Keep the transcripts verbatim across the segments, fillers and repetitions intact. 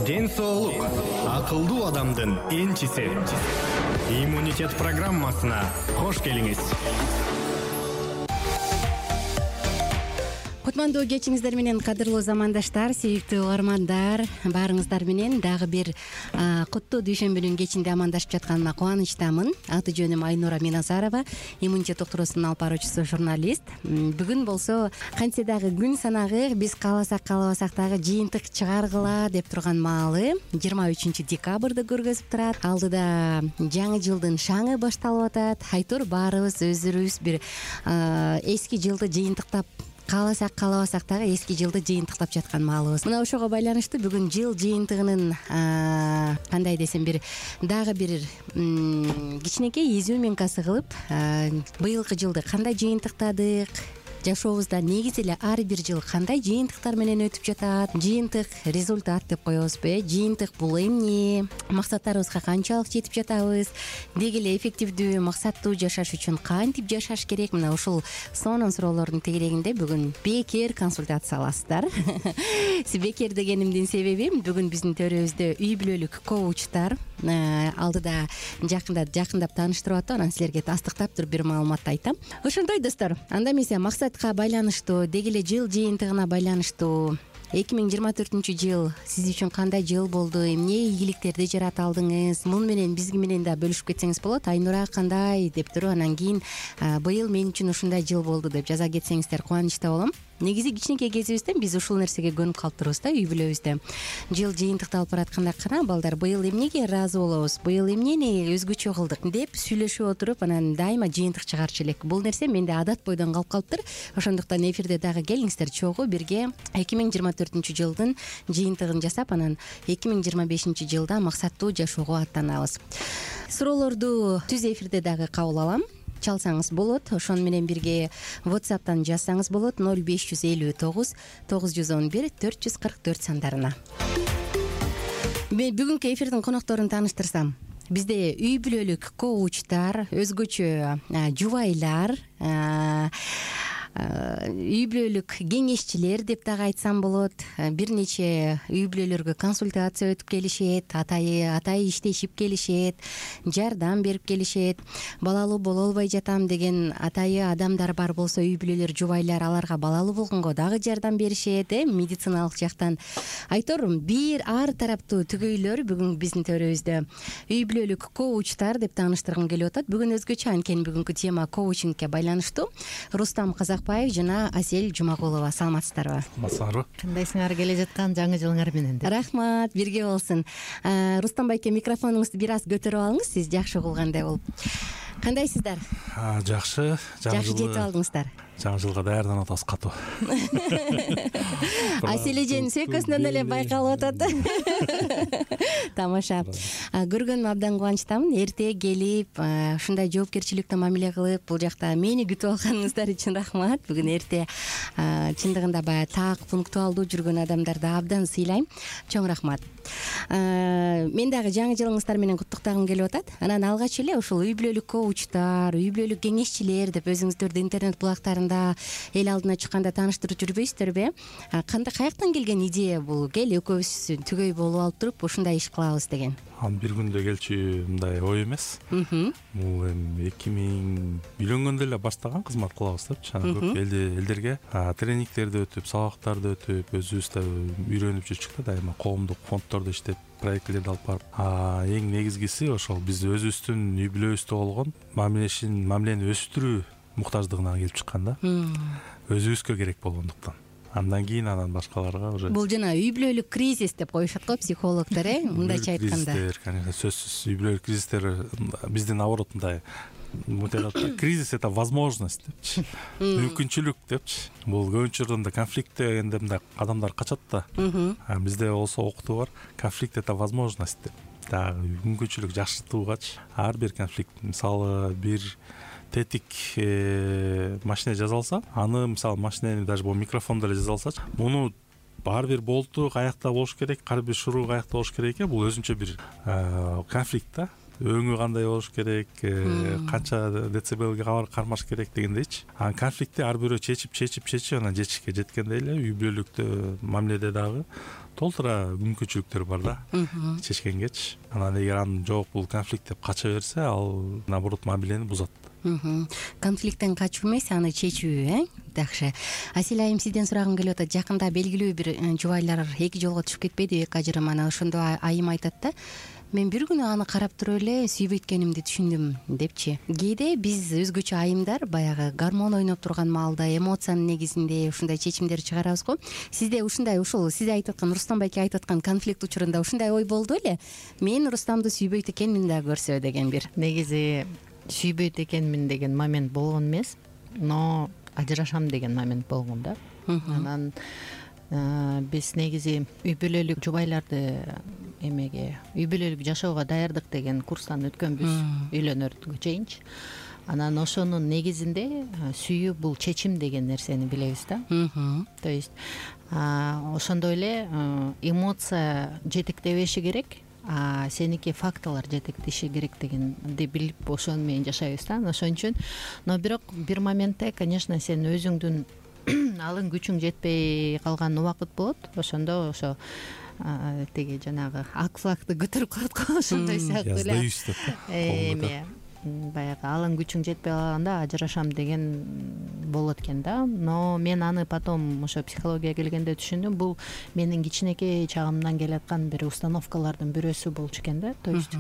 ден соолук акылдуу адамдын энчиси. Иммунитет программасына кош келиңиз. Кутмандуу кечиңиздер менен, кадырлуу замандаштар, сүйүктүү угармандар, баарыңыздар менен дагы бир куттуу дүйшөмбүнүн кечинде амандашып жатканыма кубанычтамын. Аты жөнүм Айнура Миназарова, иммунитет доктурусунун алып баруучусу, журналист. Бүгүн болсо кантсе дагы күн санагы, биз кааласак каалабасак дагы жыйынтык чыгаргыла деп турган маалы жыйырма үчүнчү декабрды көргөзүп турат. Алдыда жаңы жылдын шаңы башталып атат. Айтор баарыбыз өздөрүбүз бир эски жылды жыйынтыктап, кааласак каалабасак дагы эски жылды жыйынтыктап жаткан маалыбыз. Мына ошого байланыштуу бүгүн жыл жыйынтыгынын кандай десем, бир дагы бир кичинекей изюминкасы кылып, быйылкы жылды кандай жыйынтыктадык, жашообузда негизи эле ар бир жыл кандай жыйынтыктар менен өтүп жатат, жыйынтык результат деп коебузбу э жыйынтык бул эмне, максаттарыбызга канчалык жетип жатабыз, деги эле эффективдүү, максаттуу жашаш үчүн кантип жашаш керек. Мына ушул сонун суроолордун тегерегинде бүгүн бекер консультация аласыздар. Бекер дегенимдин себеби, бүгүн биздин төрүбүздө үй бүлөлүк коучтар алдыда жакында жакындап тааныштырып атып, анан силерге тастыктап туруп бир маалыматты айтам. Ошондой достор, анда эмесе максатка байланыштуу, деги эле жыл жыйынтыгына байланыштуу эки миң жыйырма төртүнчү жыл сиз үчүн кандай жыл болду, эмне ийгиликтерди жарата алдыңыз, муну менен бизги менен да бөлүшүп кетсеңиз болот. Айнура кандай деп туруп, анан кийин быйыл мен үчүн ушундай жыл болду деп жаза кетсеңиздер кубанычта болом. Негизи кичинекей кезибизден биз ушул нерсеге көнүп калып турбуз да, үй бүлөбүздө. Жыл жыйынтыкталып баратканда, кана балдар, быйыл эмнеге ыраазы болобуз, быйыл эмнени өзгөчө кылдык деп сүйлөшүп отуруп, анан дайыма жыйынтык чыгарчу элек. Бул нерсе менде адат бойдон калып калыптыр. Ошондуктан эфирде дагы келиңиздер, чогуу бирге эки миң жыйырма төртүнчү жылдын жыйынтыгын жасап, анан эки миң жыйырма бешинчи жылда максаттуу жашоого аттанабыз. Суроолорду түз эфирде дагы кабыл алам. Чалсаңыз болот, ошону менен бирге WhatsApp'тан жазсаңыз болот ноль беш жүз элүү тогуз тогуз жүз он бир төрт жүз кырк төрт сандарына. Мен бүгүнкү эфирдин конокторун тааныштырсам, бизде үй бүлөлүк коучтар, өзгөчө жубайлар, үй бүлөлүк кеңешчилер деп дагы айтсам болот, бир нече үй бүлөлөргө консультация өтүп келишет, атайы атайы иштешип келишет, жардам берип келишет. Балалуу боло албай жатам деген атайы адамдар бар болсо, үй бүлөлөр, жубайлар аларга балалуу болгонго дагы жардам беришет, э медициналык жактан. Айтор бир ар тараптуу түгөйлөр бүгүн биздин төрүбүздө. Үй бүлөлүк коучтар деп тааныштыргым келип атат. Бүгүн өзгөчө, анткени бүгүнкү тема коучингке байланыштуу. Рустам Казакбаев жана Асель Жумагулова, саламатсыздарбы? Саламатсыздарбы? Кандайсыңар келе жаткан жаңы жылыңар менен? Рахмат, бирге болсун. Рустам байке, микрофонуңузду бир аз көтөрүп алыңыз, сиз жакшы угулгандай болуп. Кандайсыздар? Жакшы. Жакшы жетип алдыңыздар. Жаңы жылга даярданып атабыз катуу. Асель эженин сөйкөсүнөн эле байкалып атат. Тамаша. Көргөнүмө абдан кубанычтамын. Эрте келип, ушундай жоопкерчиликтүү мамиле кылып, бул жакта мени күтүп алганыңыздар үчүн рахмат. Бүгүн эрте чындыгында баягы так, пунктуалдуу жүргөн адамдарды абдан сыйлайм. Чоң рахмат. Мен дагы жаңы жылыңыздар менен куттуктагым келип атат. Анан алгач эле ушул үй бүлөлүк коучтар, үй бүлөлүк кеңешчилер деп өзүңүздөрдү интернет булактарында эл алдына чыкканда тааныштырып жүрбөйсүздөрбү? Кандай, каяктан келген идея бул? Кел экөөбүз түгөй болуп алып туруп ушундай иш кылабыз деген. Ан бир күндө келчү мындай ой эмес. Бул эми эки миң үйлөнгөндө эле баштаган, кызмат кылабыз депчи. Анан көп элдерге тренингтерди өтүп, сабактарды өтүп, өзүбүз да үйрөнүп жүрчүк да, дайыма коомдук фонддордо иштеп, проектлерди алып барып. Эң негизгиси ошол биз өзүбүздүн үй бүлөбүздө болгон мамилешин, мамилени өстүрүү муктаждыгынан келип чыккан да. Өзүбүзгө керек болгондуктан. Андан кийин анан башкаларга уже. Бул жана үй бүлөлүк кризис деп коюшат го психологдор, э, мындайча айтканда. Кризистер, конечно, сөзсүз. Үй бүлөлүк кризистер биздин наоборот мындай кризис — это возможность депчи, мүмкүнчүлүк депчи. Бул көбүнчө жерлерде конфликттегенде мындай адамдар качат да. Бизде болсо окутуу бар, конфликт — это возможность деп. Дагы мүмкүнчүлүк жакшыртуугачы. Ар бир конфликт, мисалы бир тетик машина жасалса, аны мисалы машинени даже бул микрофондо эле жасалсачы, муну ар бир болту каякта болуш керек, ар бир шуруу каякта болуш керек экен. Бул өзүнчө бир конфликт да. өңү кандай болуш керек, канча децибелге кармаш керек дегендейчи. Анан конфликтти ар бирөө чечип чечип чечип анан жетишикке жеткенде эле үй бүлөлүктө мамиледе дагы толтура мүмкүнчүлүктөр бар да чечкенгечи. Анан эгер анын жок бул конфликт деп кача берсе, ал наоборот мамилени бузат. Конфликттен качуу эмес, аны чечүү, э жакшы. Асель айым, сизден сурагым келип атат. Жакында белгилүү бир жубайлар эки жолго түшүп кетпеди, эки ажырым. Анан ошондо айым айтат да, мен бир күнү аны карап туруп эле сүйбөйткенимди түшүндүм депчи. Кээде биз өзгөчө айымдар баягы гормон ойноп турган маалда эмоциянын негизинде ушундай чечимдер чыгарабыз го. Сизде ушундай, ушул сиз айтып аткан, Рустам байке айтып аткан конфликт учурунда ушундай ой болду эле? Мен Рустамды сүйбөйт экенмин да көрсө деген бир. Негизи сүйбөйт экенмин деген момент болгон эмес, но ажырашам деген момент болгон да. Анан биз негизи үй бүлөлүк жубайларды эмеге, үй бүлөлүк жашоого даярдык деген курстан өткөнбүз үйлөнөргө чейинчи. Анан ошонун негизинде сүйүү бул чечим деген нерсени билебиз да. То есть ошондой эле эмоция жетектебеши керек, а сеники фактылар жетектеши керек дегенди билип ошону менен жашайбыз да. Ошон үчүн, но бирок бир моментте, конечно, сен өзүңдүн алын күчүң жетпей калган убакыт болот. Ошондо ошо тиги жанагы ак флагты көтөрүп коет го, ошондой сыяктуу эле. Эме баягы алын күчүң жетпей калганда ажырашам деген болот экен да. Но мен аны потом ошо психологияга келгенде түшүндүм, бул менин кичинекей чагымдан келаткан бир установкалардын бирөөсү болчу экен да. То есть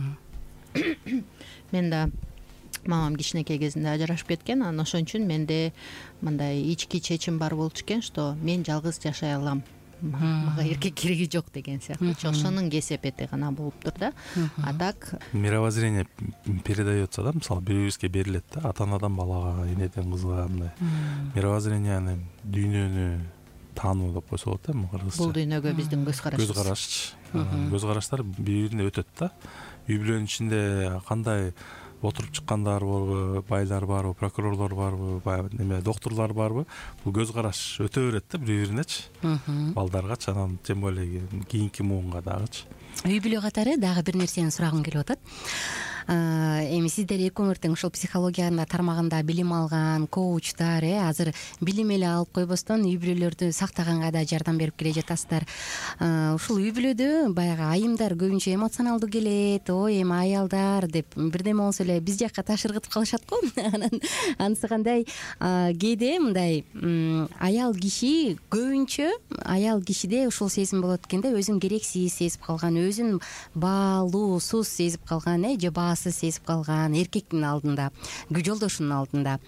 мен да мамам кичинекей кезинде ажырашып кеткен, анан ошон үчүн менде мындай ички чечим бар болчу экен, что мен жалгыз жашай алам, мага эркек кереги жок деген сыяктуу. Ошонун кесепети гана болуптур да. А так мировоззрение передается да, мисалы бирибизге берилет да, ата-анадан балага, энеден кызга мындай мировоззренияны, дүйнөнү таануу деп койсо болот эми кыргызча. Бул дүйнөгө биздин көз карашыбыз. Көз караш. Көз караштар бири-бирине өтөт да. Үй бүлөнүн ичинде кандай отуруп чыккандар барбы, байлар барбы, прокурорлор барбы, баягы неме доктурлар барбы, бул көз караш өтө берет да бири-биринечи. Балдаргачы, анан тем более кийинки муунга дагычы. Үй бүлө катары дагы бир нерсени сурагым келип атат. Эми сиздер экөөңөр тең ушул психологиянын тармагында билим алган коучтар, э азыр билим эле алып койбостон үй бүлөлөрдү сактаганга да жардам берип келе жатасыздар. Ушул үй бүлөдө баягы айымдар көбүнчө эмоционалдуу келет, ой эми аялдар деп бирдеме болсо эле биз жакка таш ыргытып калышат го. Анан анысы кандай, кээде мындай аял киши көбүнчө аял кишиде ушул сезим болот экенде, өзүн керексиз сезип калган, өзүн баалуусуз сезип калган, э же сезип калган эркектин алдында, жолдошунун алдында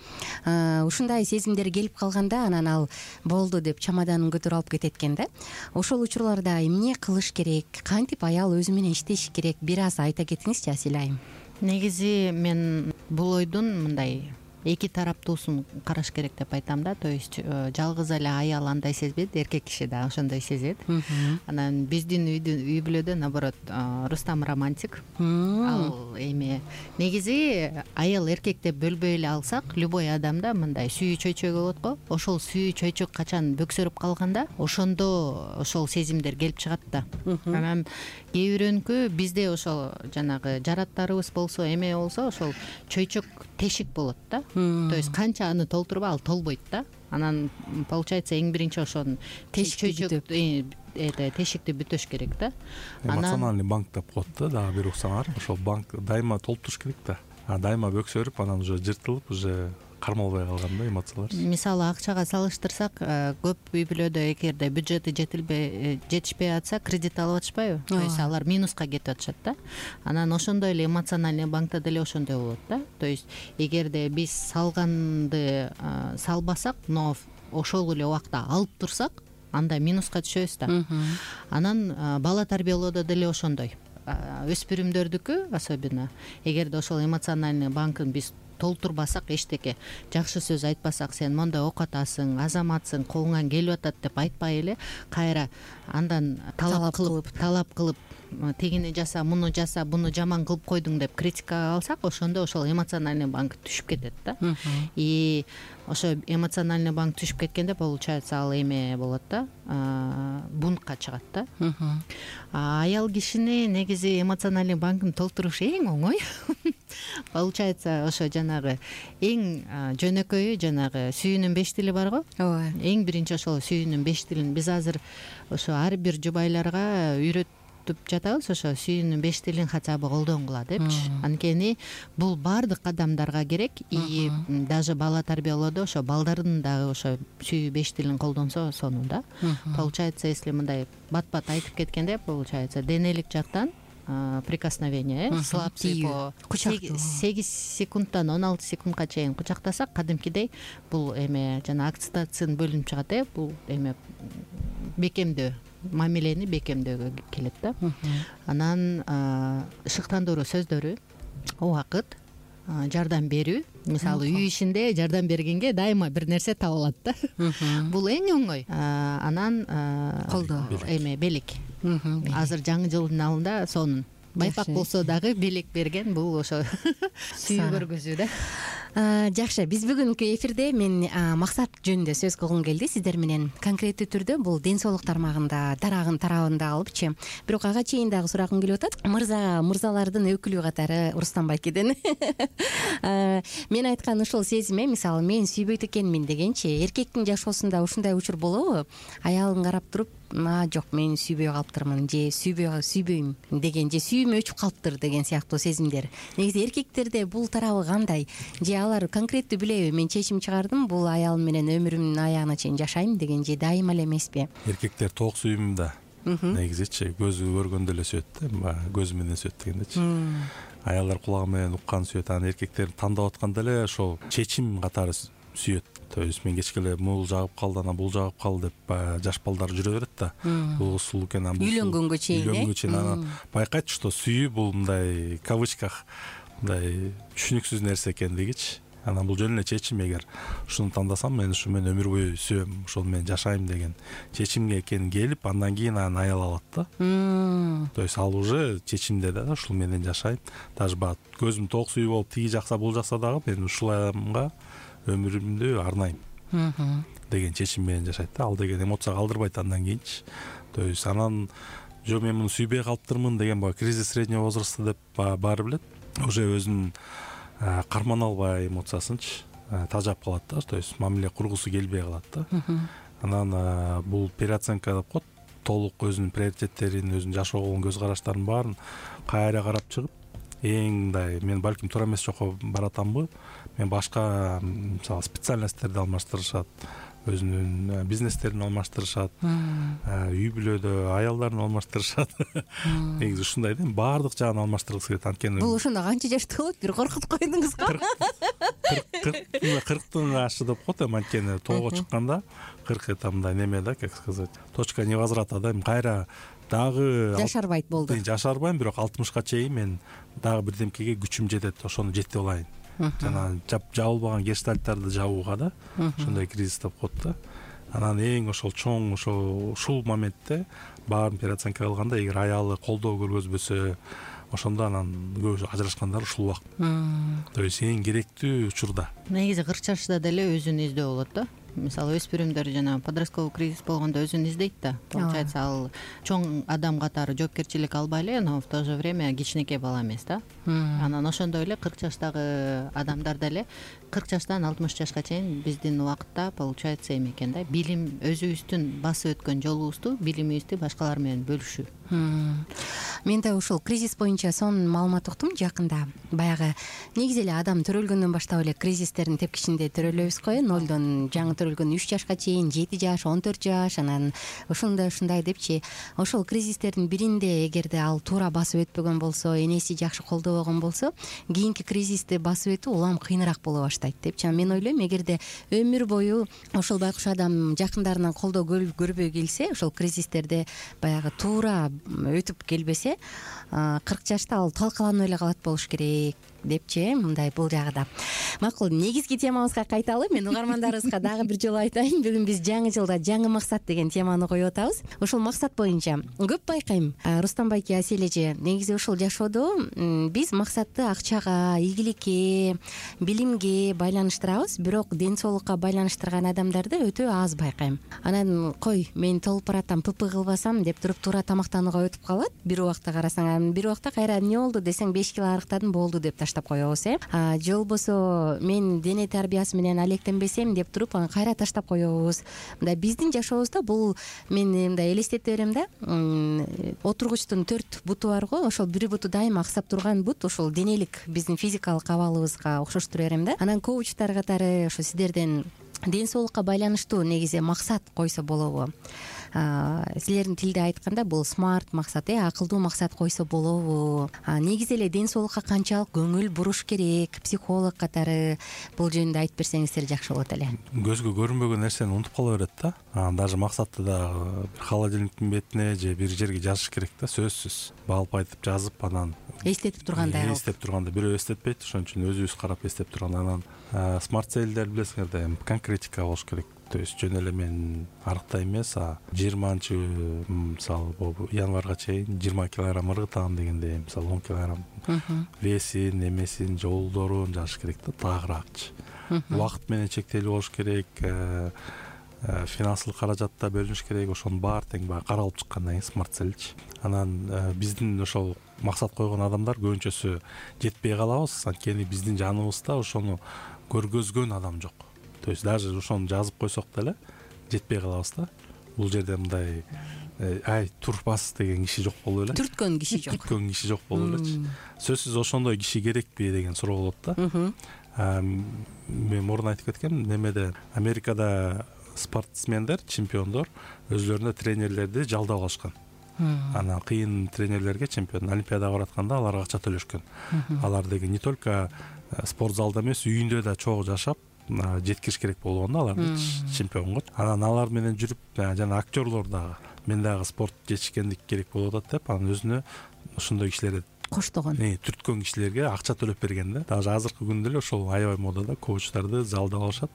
ушундай сезимдер келип калганда, анан ал болду деп чамаданын көтөрүп алып кетет экен да. Ошол учурларда эмне кылыш керек, кантип аял өзү менен иштеши керек, бир аз айта кетиңизчи Асель айым. Негизи мен бул ойдун мындай эки тараптуусун караш керек деп айтам да. То есть жалгыз эле аял андай сезбейт, эркек киши да ошондой сезет. Анан биздин үй бүлөдө наоборот Рустам романтик. Ал эми негизи аял эркек деп бөлбөй эле алсак, любой адамда мындай сүйүү чөйчөк болот го. Ошол сүйүү чөйчөк качан бөксөрүп калганда, ошондо ошол сезимдер келип чыгат да. Анан кээ бирөөнүкү бизде ошол жанагы жараттарыбыз болсо, эме болсо, ошол чөйчөк тешик болот да. То есть канча аны толтурба, ал толбойт да. Анан получается эң биринчи ошонун чөйчөк тешикти бүтөш керек да. Эмоциональный банк деп коет да, дагы бир уксаңар. Ошол банк дайыма толтуруш керек да. А дайыма бөксөрүп, анан уже жыртылып, уже кармалбай калганда эмоциялар. Мисалы акчага салыштырсак, көп үй бүлөдө эгерде бюджети жетилбей жетишпей атса, кредит алып атышпайбы? То есть алар минуска кетип атышат да. Анан ошондой эле эмоциональный банкта деле ошондой болот да. То есть эгерде биз салганды салбасак, но ошол эле убакта алып турсак, анда минуска түшөбүз да. Анан бала тарбиялоодо деле ошондой. Өспүрүмдөрдүкү особенно эгерде ошол эмоциональный банкын биз толтурбасак, эчтеке жакшы сөз айтпасак, сен мондай окатасың, азаматсың, колуңан келип атат деп айтпай эле, кайра андан талап кылып, талап кылып, тигини жаса, муну жаса, буну жаман кылып койдуң деп критикага алсак, ошондо ошол эмоциональный банк түшүп кетет да. И ошо эмоциональный банк түшүп кеткенде получается ал эме болот да, бунтка чыгат да. Аял кишини негизи эмоциональный банкын толтуруш эң оңой. Получается ошо жанагы эң жөнөкөйү жанагы сүйүүнүн беш тили бар го. ооба. Эң биринчи ошол сүйүүнүн беш тилин биз азыр ошо ар бир жубайларга үйрөтүп жатабыз, ошо сүйүүнүн беш тилин хотя бы колдонгула депчи. Анткени бул баардык адамдарга керек, и даже бала тарбиялоодо ошо балдардын дагы ошо сүйүү беш тилин колдонсо сонун да. Получается, если мындай бат-бат айтып кеткенде, получается денелик жактан прикосновение, слабцы по сегиз секундтан он алты секундка чейин кучактасак, кадимкидей бул эме жана окситоцин бөлүнүп чыгат э, бул эме бекемдөө, мамилени бекемдөөгө келет да. Анан шыктандыруу сөздөрү, убакыт, жардам берүү. Мисалы үй ишинде жардам бергенге дайыма бир нерсе табылат да. Бул эң оңой. Анан колдоо, эме белек. Азыр жаңы жылдын алдында сонун байпак болсо дагы белек берген, бул ошо сүйүү көргөзүү да. Жакшы, биз бүгүнкү эфирде мен максат жөнүндө сөз кылгым келди сиздер менен. Конкреттүү түрдө бул ден соолук тармагында, дарагын тарабында алыпчы. Бирок ага чейин дагы сурагым келип атат. Мырза, мырзалардын өкүлү катары Рустам байкеден. Мен айткан ушул сезиме, мисалы мен сүйбөйт экенмин дегенчи, эркектин жашоосунда ушундай учур болобу? Аялын карап туруп, а жок, мен сүйбөй калыптырмын, же сүйбөй сүйбөйм деген, же сүйүүм өчүп калыптыр деген сыяктуу сезимдер. Негизи эркектерде бул тарабы кандай? Же алар конкреттүү билеби, мен чечим чыгардым, бул аялым менен өмүрүмдүн аягына чейин жашайм деген, же дайыма эле эмеспи? Эркектер тоок сүйүүмдө негизичи көзү көргөндө эле сүйөт да, көзү менен сүйөт дегендечи. Аялдар кулагы менен уккан сүйөт, анан эркектер тандап атканда эле ошол чечим катары сүйөт. То есть мен кечке эле мул жагып калды, анан бул жагып калды деп жаш балдар жүрө берет да. Бул сулуу экен, анан бул үйлөнгөнгө чейин, үйлөнгөнгө чейин анан байкайт, что сүйүү бул мындай кавычках мындай түшүнүксүз нерсе экендигичи. Анан бул жөн эле чечим, эгер ушуну тандасам, мен ушу мен өмүр бою сүйөм, ошол менен жашайм деген чечимге экен келип, андан кийин анан аял алат да. То есть ал уже чечимде да, ушул менен жашайм. Даже бат көзүм тоок сүйүү болуп тиги жакса бул жакса дагы мен ушул аямга өмүрүмдү арнайм деген чечим менен жашайт да. Ал деген эмоция калдырбайт андан кийинчи. То есть анан жок, мен муну сүйбөй калыптырмын деген баягы кризис среднего возраста деп баары билет. Уже өзүн кармана албай эмоциясынчы тажап калат да. То есть мамиле кургусу келбей калат да. Анан бул переоценка деп коет. Толук өзүнүн приоритеттерин, өзүнүн жашоого көз караштарын баарын кайра карап чыгып, эң мындай, мен балким туура эмес жокко баратамбы, мен башка мисалы специальностьтерди алмаштырышат, өзүнүн бизнестерин алмаштырышат, үй бүлөдө аялдарын алмаштырышат. Негизи ушундай да, баардык жагын алмаштыргысы келет. Анткени бул ошондо канча жашта болот? Бир коркутуп койдуңуз го. кырктын ашы деп коет, анткени тоого чыкканда кырк это мындай неме да, как сказать, точка невозврата да, кайра дагы жашарбайт болду. Жашарбайм, бирок алтымышка чейин мен дагы бирдемкеге күчүм жетет, ошону жетип алайын. Жана жабылбаган гештальттарды жабууга да, ошондой кризис деп коет да. Анан эң ошол чоң ошол ушул моментте баарын переоценка кылганда, эгер аялы колдоо көргөзбөсө, ошондо анан көбү ажырашкандар ушул убакыт. То есть эң керектүү учурда. Негизи кырк жашта деле өзүн издөө болот да. Мисалы өспүрүмдөр жана подростковый кризис болгондо өзүн издейт да. Получается, ал чоң адам катары жоопкерчилик албай эле, но в то же время кичинекей бала эмес да. Анан ошондой эле кырк жаштагы адамдар деле кырк жаштан алтымыш жашка чейин биздин убакытта получается эме экен да, билим, өзүбүздүн басып өткөн жолубузду, билимибизди башкалар менен бөлүшүү. Мен да ушул кризис боюнча сонун маалымат уктум жакында. Баягы негизи эле адам төрөлгөндөн баштап эле кризистердин тепкичинде төрөлөбүз го, нолдон жаңы төрөлгөн үч жашка чейин, жети жаш, он төрт жаш, анан ушундай ушундай депчи. Ошол кризистердин биринде эгерде ал туура басып өтпөгөн болсо, энеси жакшы колдобогон болсо, кийинки кризисти басып өтүү улам кыйыныраак боло баштайт депчи. Мен ойлойм, эгерде өмүр бою ошол байкуш адам жакындарынан колдоо көрбөй келсе, ошол кризистерде баягы туура өтүп келбесе, кырк жашта ал талкаланып эле калат болуш керек депчи, мындай бул жагы да. Макул, негизги темабызга кайталы. Мен угармандарыбызга дагы бир жолу айтайын. Бүгүн биз жаңы жылда жаңы максат деген теманы коюп атабыз. Ошол максат боюнча көп байкайм, Рустам байке, Асель эже, негизи ушул жашоодо биз максатты акчага, ийгиликке, билимге байланыштырабыз, бирок ден соолукка байланыштырган адамдарды өтө аз байкайм. Анан кой, мен толуп баратам, пп кылбасам деп туруп туура тамактанууга өтүп калат. Бир убакта карасаң, бир убакта кайра эмне болду десең беш кило арыктадым, болду деп таштап коебуз, э. Же болбосо мен дене тарбиясы менен алектенбесем деп туруп анан кайра таштап коебуз. Мындай биздин жашообузда бул, мен мындай элестете берем да, отургучтун төрт буту бар го, ошол бир буту дайыма аксап турган бут ошол денелик биздин физикалык абалыбызга окшоштура берем да. Анан коучтар катары ошо сиздерден ден соолукка байланыштуу негизи максат койсо болобу? Силердин тилде айтканда бул смарт максат, э, акылдуу максат койсо болобу? Негизи эле ден соолукка канчалык көңүл буруш керек, психолог катары бул жөнүндө айтып берсеңиздер жакшы болот эле. Көзгө көрүнбөгөн нерсени унутуп кала берет да. Даже максатты да бир холодильниктин бетине же бир жерге жазыш керек да, сөзсүз. Балып айтып жазып, анан эстетип тургандай. Эстеп турганда бирөө эстетпейт, ошон үчүн өзүбүз карап эстеп турганда, анан смарт целдер билесиңер да, эми конкретика болуш керек. То есть жөн эле мен арыкта эмес, а жыйырманчы мисалы январга чейин жыйырма килограмм ыргытам дегенде, мисалы он килограмм весин, эмесин, жолдорун жазыш керек да, таагыраагычы. Убакыт менен чектелүү болуш керек, финансылык каражатта бөлүнүш керек, ошонун баары тең баягы каралып чыккандан кийин смарт целчи. Анан биздин ошол максат койгон адамдар көбүнчөсү жетпей калабыз, анткени биздин жаныбызда ошону көргөзгөн адам жок. То есть даже ошону жазып койсок деле жетпей калабыз да. Бул жерде мындай ай турбас деген киши жок болуп эле. Түрткөн киши жок. Түрткөн киши жок болуп элечи. Сөзсүз ошондой киши керекпи деген суроо болот да. Мен мурун айтып кеткем, немеде Америкада спортсмендер, чемпиондор өзлөрүнө тренерлерди жалдап алышкан. Анан кыйын тренерлерге, чемпион олимпиадага баратканда аларга акча төлөшкөн. Алар деген не только спорт залда эмес, үйүндө да чогуу жашап жеткириш керек болгон да аларды чемпионго. Анан алар менен жүрүп, жана актерлор дагы мен дагы спорт жетишкендик керек болуп атат деп, анан өзүнө ошондой кишилерди коштогон, түрткөн кишилерге акча төлөп берген да. Даже азыркы күндө эле ошол аябай модада коучтарды жалдап алышат.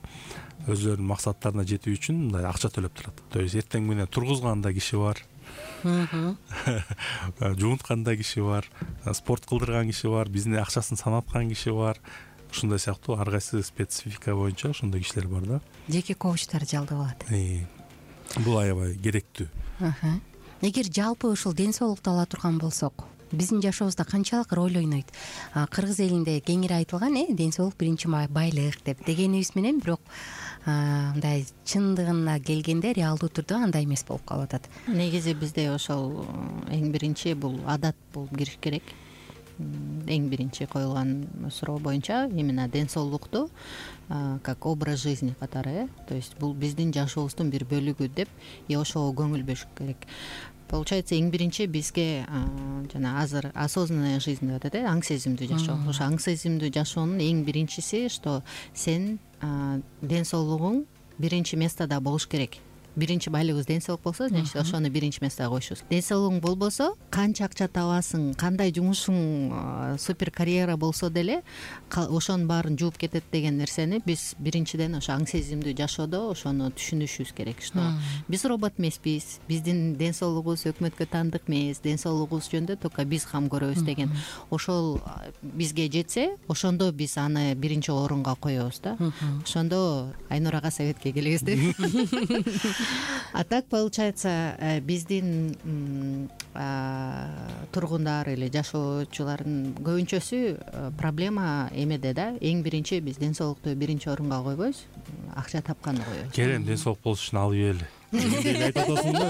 Өзлөрүнүн максаттарына жетүү үчүн мындай акча төлөп турат. То есть эртең менен тургузган да киши бар. Жуунткан да киши бар, спорт кылдырган киши бар, биздин акчасын санаткан киши бар. Ушундай сыяктуу ар кайсы специфика боюнча ошондой кишилер бар да. Жеке коучтар жалдап алат. Бул аябай керектүү. Эгер жалпы ушул ден соолукту ала турган болсок, биздин жашообузда канчалык роль ойнойт? Кыргыз элинде кеңири айтылган, э, ден соолук биринчи байлык деп дегенибиз менен, бирок мындай чындыгына келгенде реалдуу түрдө андай эмес болуп калып атат. Негизи бизде ошол эң биринчи бул адат болуп кириш керек. Эң биринчи коюлган суроо боюнча именно ден соолукту как образ жизни катары, э, то есть бул биздин жашообуздун бир бөлүгү деп, и ошого көңүл бөлүш керек. Получается, эң биринчи бизге жана азыр осознанная жизнь деп атат, э, аң сезимдүү жашоо. Ошо аң сезимдүү жашоонун эң биринчиси, что сен ден соолугуң биринчи местода болуш керек. Биринчи байлыгыбыз ден соолук болсо, значит, ошону биринчи местого коюшубуз. Ден соолугуң болбосо, канча акча табасың, кандай жумушуң супер карьера болсо деле, ошонун баарын жууп кетет деген нерсени биз биринчиден ошо аң сезимдүү жашоодо ошону түшүнүшүбүз керек, что биз робот эмеспиз, биздин ден соолугубуз өкмөткө таандык эмес, ден соолугубуз жөнүндө только биз кам көрөбүз деген. Ошол бизге жетсе, ошондо биз аны биринчи орунга коебуз да. Ошондо Айнурага советке келебиз деп. А так получается, биздин тургундар или жашоочулардын көбүнчөсү проблема эмеде да. Эң биринчи биз ден соолукту биринчи орунга койбойбуз, акча тапканды коебуз. Керем ден соолук болуш үчүн алып ийели. Айтып атасың да.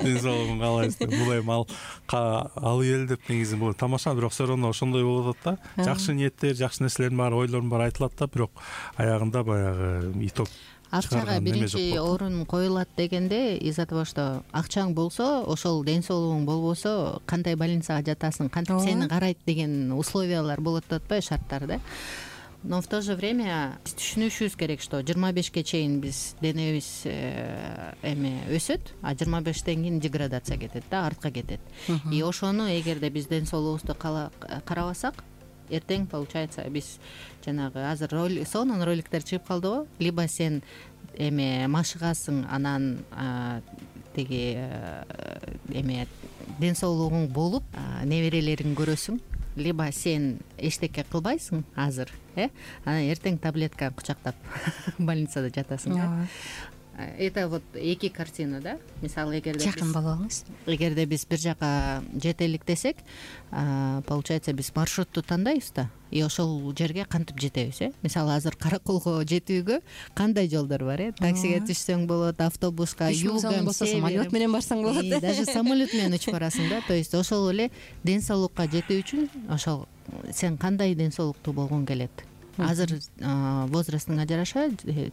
Ден соолугун каалайбыз деп. Бул эми ал алып ийели деп негизи бул тамаша, бирок все равно ошондой болуп атат да. Жакшы ниеттер, жакшы нерселердин баары, ойлордун баары айтылат да, бирок аягында баягы итог акчага биринчи орун коюлат дегенде, из-за того, что акчаң болсо, ошол ден соолугуң болбосо, кандай больницага жатасың, кантип сени карайт деген условиялар болот атпайбы, шарттар да. но в то же время биз түшүнүшүбүз керек, что жыйырма бешке чейин биз денебиз эме өсөт, а жыйырма бештен кийин деградация кетет да, артка кетет. И ошону эгерде биз ден соолугубузду карабасак, эртең получается биз жанагы азыр сонун роликтер чыгып калды го, либо сен эме машыгасың, анан тиги эме ден соолугуң болуп неберелериңди көрөсүң, либо сен эчтеке кылбайсың азыр, э анан эртең таблетка кучактап больницада жатасың. Это вот эки картина, да. Мисалы, эгерде жакын болобуз, эгерде биз бир жака жетелик десек, получается биз маршрутту тандайбыз да, и ошол жерге кантип жетебиз, э мисалы азыр Караколго жетүүгө кандай жолдор бар, э таксиге түшсөң болот, автобуска, югам, болсо самолет менен барсаң болот, даже самолет менен учуп барасың да. То есть ошол эле ден соолукка жетүү үчүн ошол сен кандай ден соолуктуу болгуң келет, азыр возрастыңа жараша,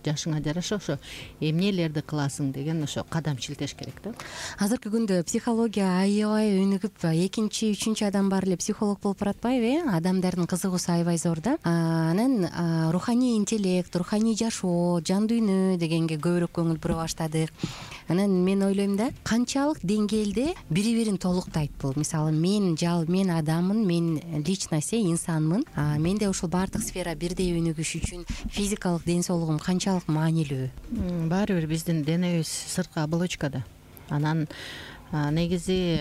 жашыңа жараша ошо эмнелерди кыласың деген ошо кадам шилтеш керек да. Азыркы күндө психология аябай өнүгүп, экинчи үчүнчү адам баары эле психолог болуп баратпайбы, э адамдардын кызыгуусу аябай зор да. Анан руханий интеллект, руханий жашоо, жан дүйнө дегенге көбүрөөк көңүл бура баштадык. Анан мен ойлойм да, канчалык деңгээлде бири бирин толуктайт бул. Мисалы, мен жал мен адаммын, мен личность, инсанмын. Менде ошол баардык сфера бирдей өнүгүш үчүн физикалык ден соолугум канчалык маанилүү? Баары бир биздин денебиз сырткы оболочкада. Анан негизи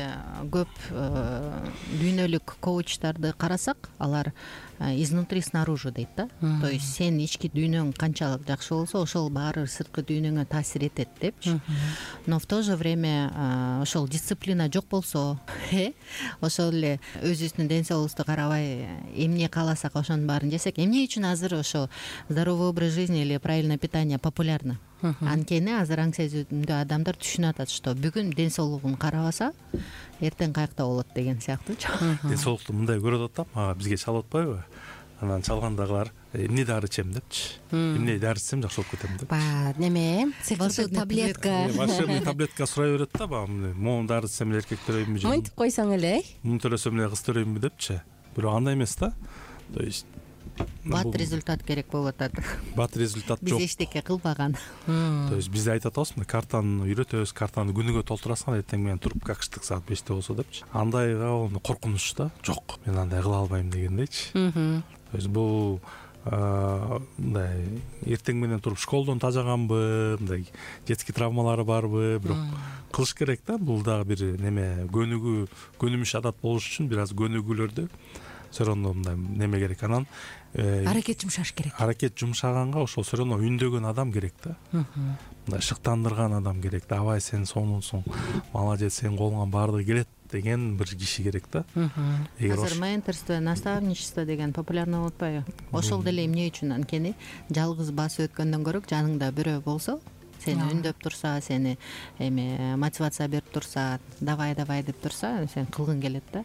көп дүйнөлүк коучтарды карасак, алар изнутри снаружи дейт да. То есть сен ички дүйнөң канчалык жакшы болсо, ошол баары сырткы дүйнөңө таасир этет депчи. Но в то же время ошол дисциплина жок болсо, э ошол эле өзүбүздүн ден соолугубузду карабай эмне кааласак ошонун баарын жесек, эмне үчүн азыр ошо здоровый образ жизни или правильное питание популярно? Анткени азыр аң сезимдүү адамдар түшүнүп атат, что бүгүн ден соолугун карабаса, эртең каякта болот деген сыяктуучу. Ден соолукту мындай көрүп атат да, бизге чалып атпайбы? Анан чалгандагылар эмне дары ичем депчи. Эмне дары ичсем жакшы болуп кетем деп. Ба, неме? Сыйкырсыз таблетка. Волшебный таблетка сурай берет да, баягы могу дары ичсем эле эркек төрөйүнбү же? Монтип койсоң эле, муну төрөсөм эле кыз төрөйүнбү депчи. Бирок андай эмес да. То есть бат результат керек болуп атат. Бат результат жок. Биз эчтеке кылбаган. То есть бизде айтып атабызбы, картаны үйрөтөбүз, картаны күнүгө толтурасың, эртең менен туруп какштык саат беште болсо депчи. Андайга коркунуч да. Жок, мен андай кыла албайм дегендейчи. То есть бул мындай эртең менен туруп школдон тажаганбы, мындай детский травмалары барбы, бирок кылыш керек да. Бул дагы бир неме, көнүгүү, көнүмүш адат болуш үчүн бир аз көнүгүүлөрдү все равно мындай неме керек. Анан аракет жумшаш керек. Аракет жумшаганга ошол все равно үндөгөн адам керек да. Мындай шыктандырган адам керек. Давай сен сонунсуң, молодец, сен колуңан баардыгы келет деген бир киши керек да. Азыр менторство, наставничество деген популярный болуп атпайбы? Ошол деле эмне үчүн? Анткени жалгыз басып өткөндөн көрө жаныңда бирөө болсо, сени үндөп турса, сени эме мотивация берип турса, давай давай деп турса, сен кылгың келет да.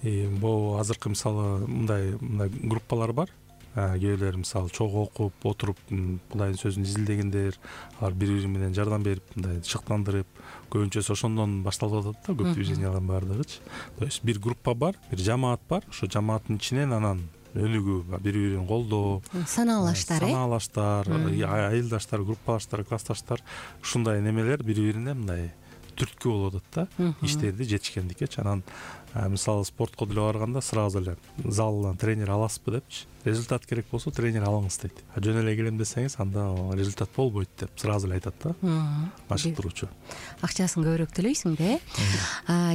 Бул азыркы мисалы мындай мындай группалар бар. Кээ бирлер мисалы чогуу окуп, отуруп, Кудайдын сөзүн изилдегендер, алар бири-бири менен жардам берип, мындай шыктандырып, көбүнчөсү ошондон башталып атат да, көп движениялардын баардыгычы. То есть бир группа бар, бир жамаат бар, ошо жамааттын ичинен анан өнүгүү, бири-бирин колдоо, санаалаштар, э? Санаалаштар, айылдаштар, группалаштар, классташтар, ушундай немелер бири-бирине мындай түрткү болуп атат да, иштерди жетишкендиккечи. Анан мисалы спортко деле барганда сразу эле залдан тренер аласызбы депчи. Результат керек болсо тренер алыңыз дейт. А жөн эле келем десеңиз, анда результат болбойт деп сразу эле айтат да. Машыктыруучу. Акчасын көбүрөөк төлөйсүң да.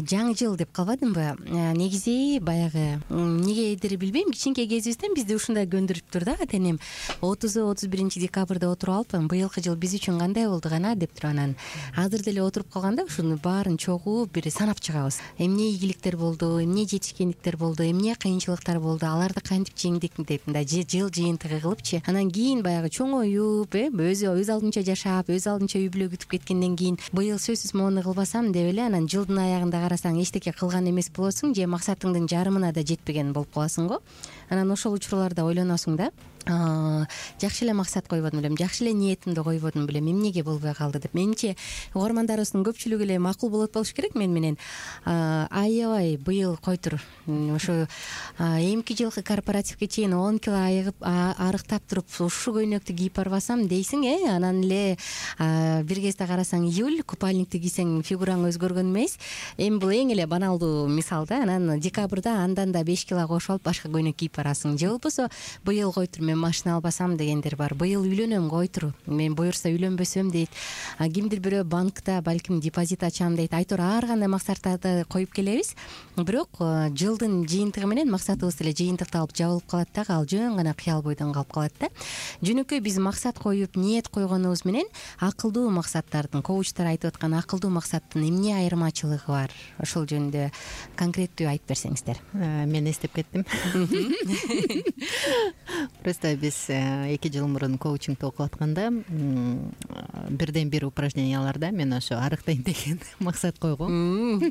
Жаңы жыл деп калбадымбы? Негизи баягы эмнегедир билбейм, кичинекей кезибизден бизди ушундай көндүрүптүр да, атенем отуз отуз биринчи декабрда отуруп алыппын, быйылкы жыл биз үчүн кандай болду гана деп туруп, анан азыр деле отуруп калганда ушуну баарын чогуу бир санап чыгабыз. Эмне ийгиликтер болду, эмне жетишкендиктер болду, эмне кыйынчылыктар болду, аларды кантип жеңдик деп мындай жыл жыйынтыгы кылыпчы. Анан кийин баягы чоңоюп, э, өзү өз алдынча жашап, өз алдынча үй бүлө күтүп кеткенден кийин быйыл сөзсүз моуну кылбасам деп эле, анан жылдын аягында карасаң эчтеке кылган эмес болосуң, же максатыңдын жарымына да жетпеген болуп каласың го. Анан ошол учурларда ойлоносуң да, жакшы эле максат койбодум белем, жакшы эле ниетимди койбодум белем, эмнеге болбой калды деп. Менимче угармандарыбыздын көпчүлүгү эле макул болот болуш керек мен менен. Аябай быйыл койтур ошо эмки жылкы корпоративге чейин он кило айыгып арыктап туруп ушул көйнөктү кийип барбасам дейсиң, э анан эле бир кезде карасаң июль купальникти кийсең фигураң өзгөргөн эмес. Эми бул эң эле баналдуу мисал да. Анан декабрда андан да беш кило кошуп алып башка көйнөк кийип барасың. Же болбосо быйыл койтур мен машина албасам дегендер бар. Быйыл үйлөнөм койтур, мен буюрса үйлөнбөсөм дейт. Кимдир бирөө банкта балким депозит ачам дейт. Айтор ар кандай максаттарды коюп келебиз. Бирок жылдын жыйынтыгы менен максатыбыз эле жыйынтыкталып жабылып калат дагы, ал жөн гана кыял бойдон калып калат да. Жөнөкөй биз максат коюп, ниет койгонубуз менен акылдуу максаттардын, коучтар айтып аткан акылдуу максаттын эмне айырмачылыгы бар? Ошол жөнүндө конкреттүү айтып берсеңиздер. Мен эстеп кеттим. Просто биз эки жыл мурун коучингди окуп атканда бирден бир упражненияларда мен ошо арыктайын деген максат койгом.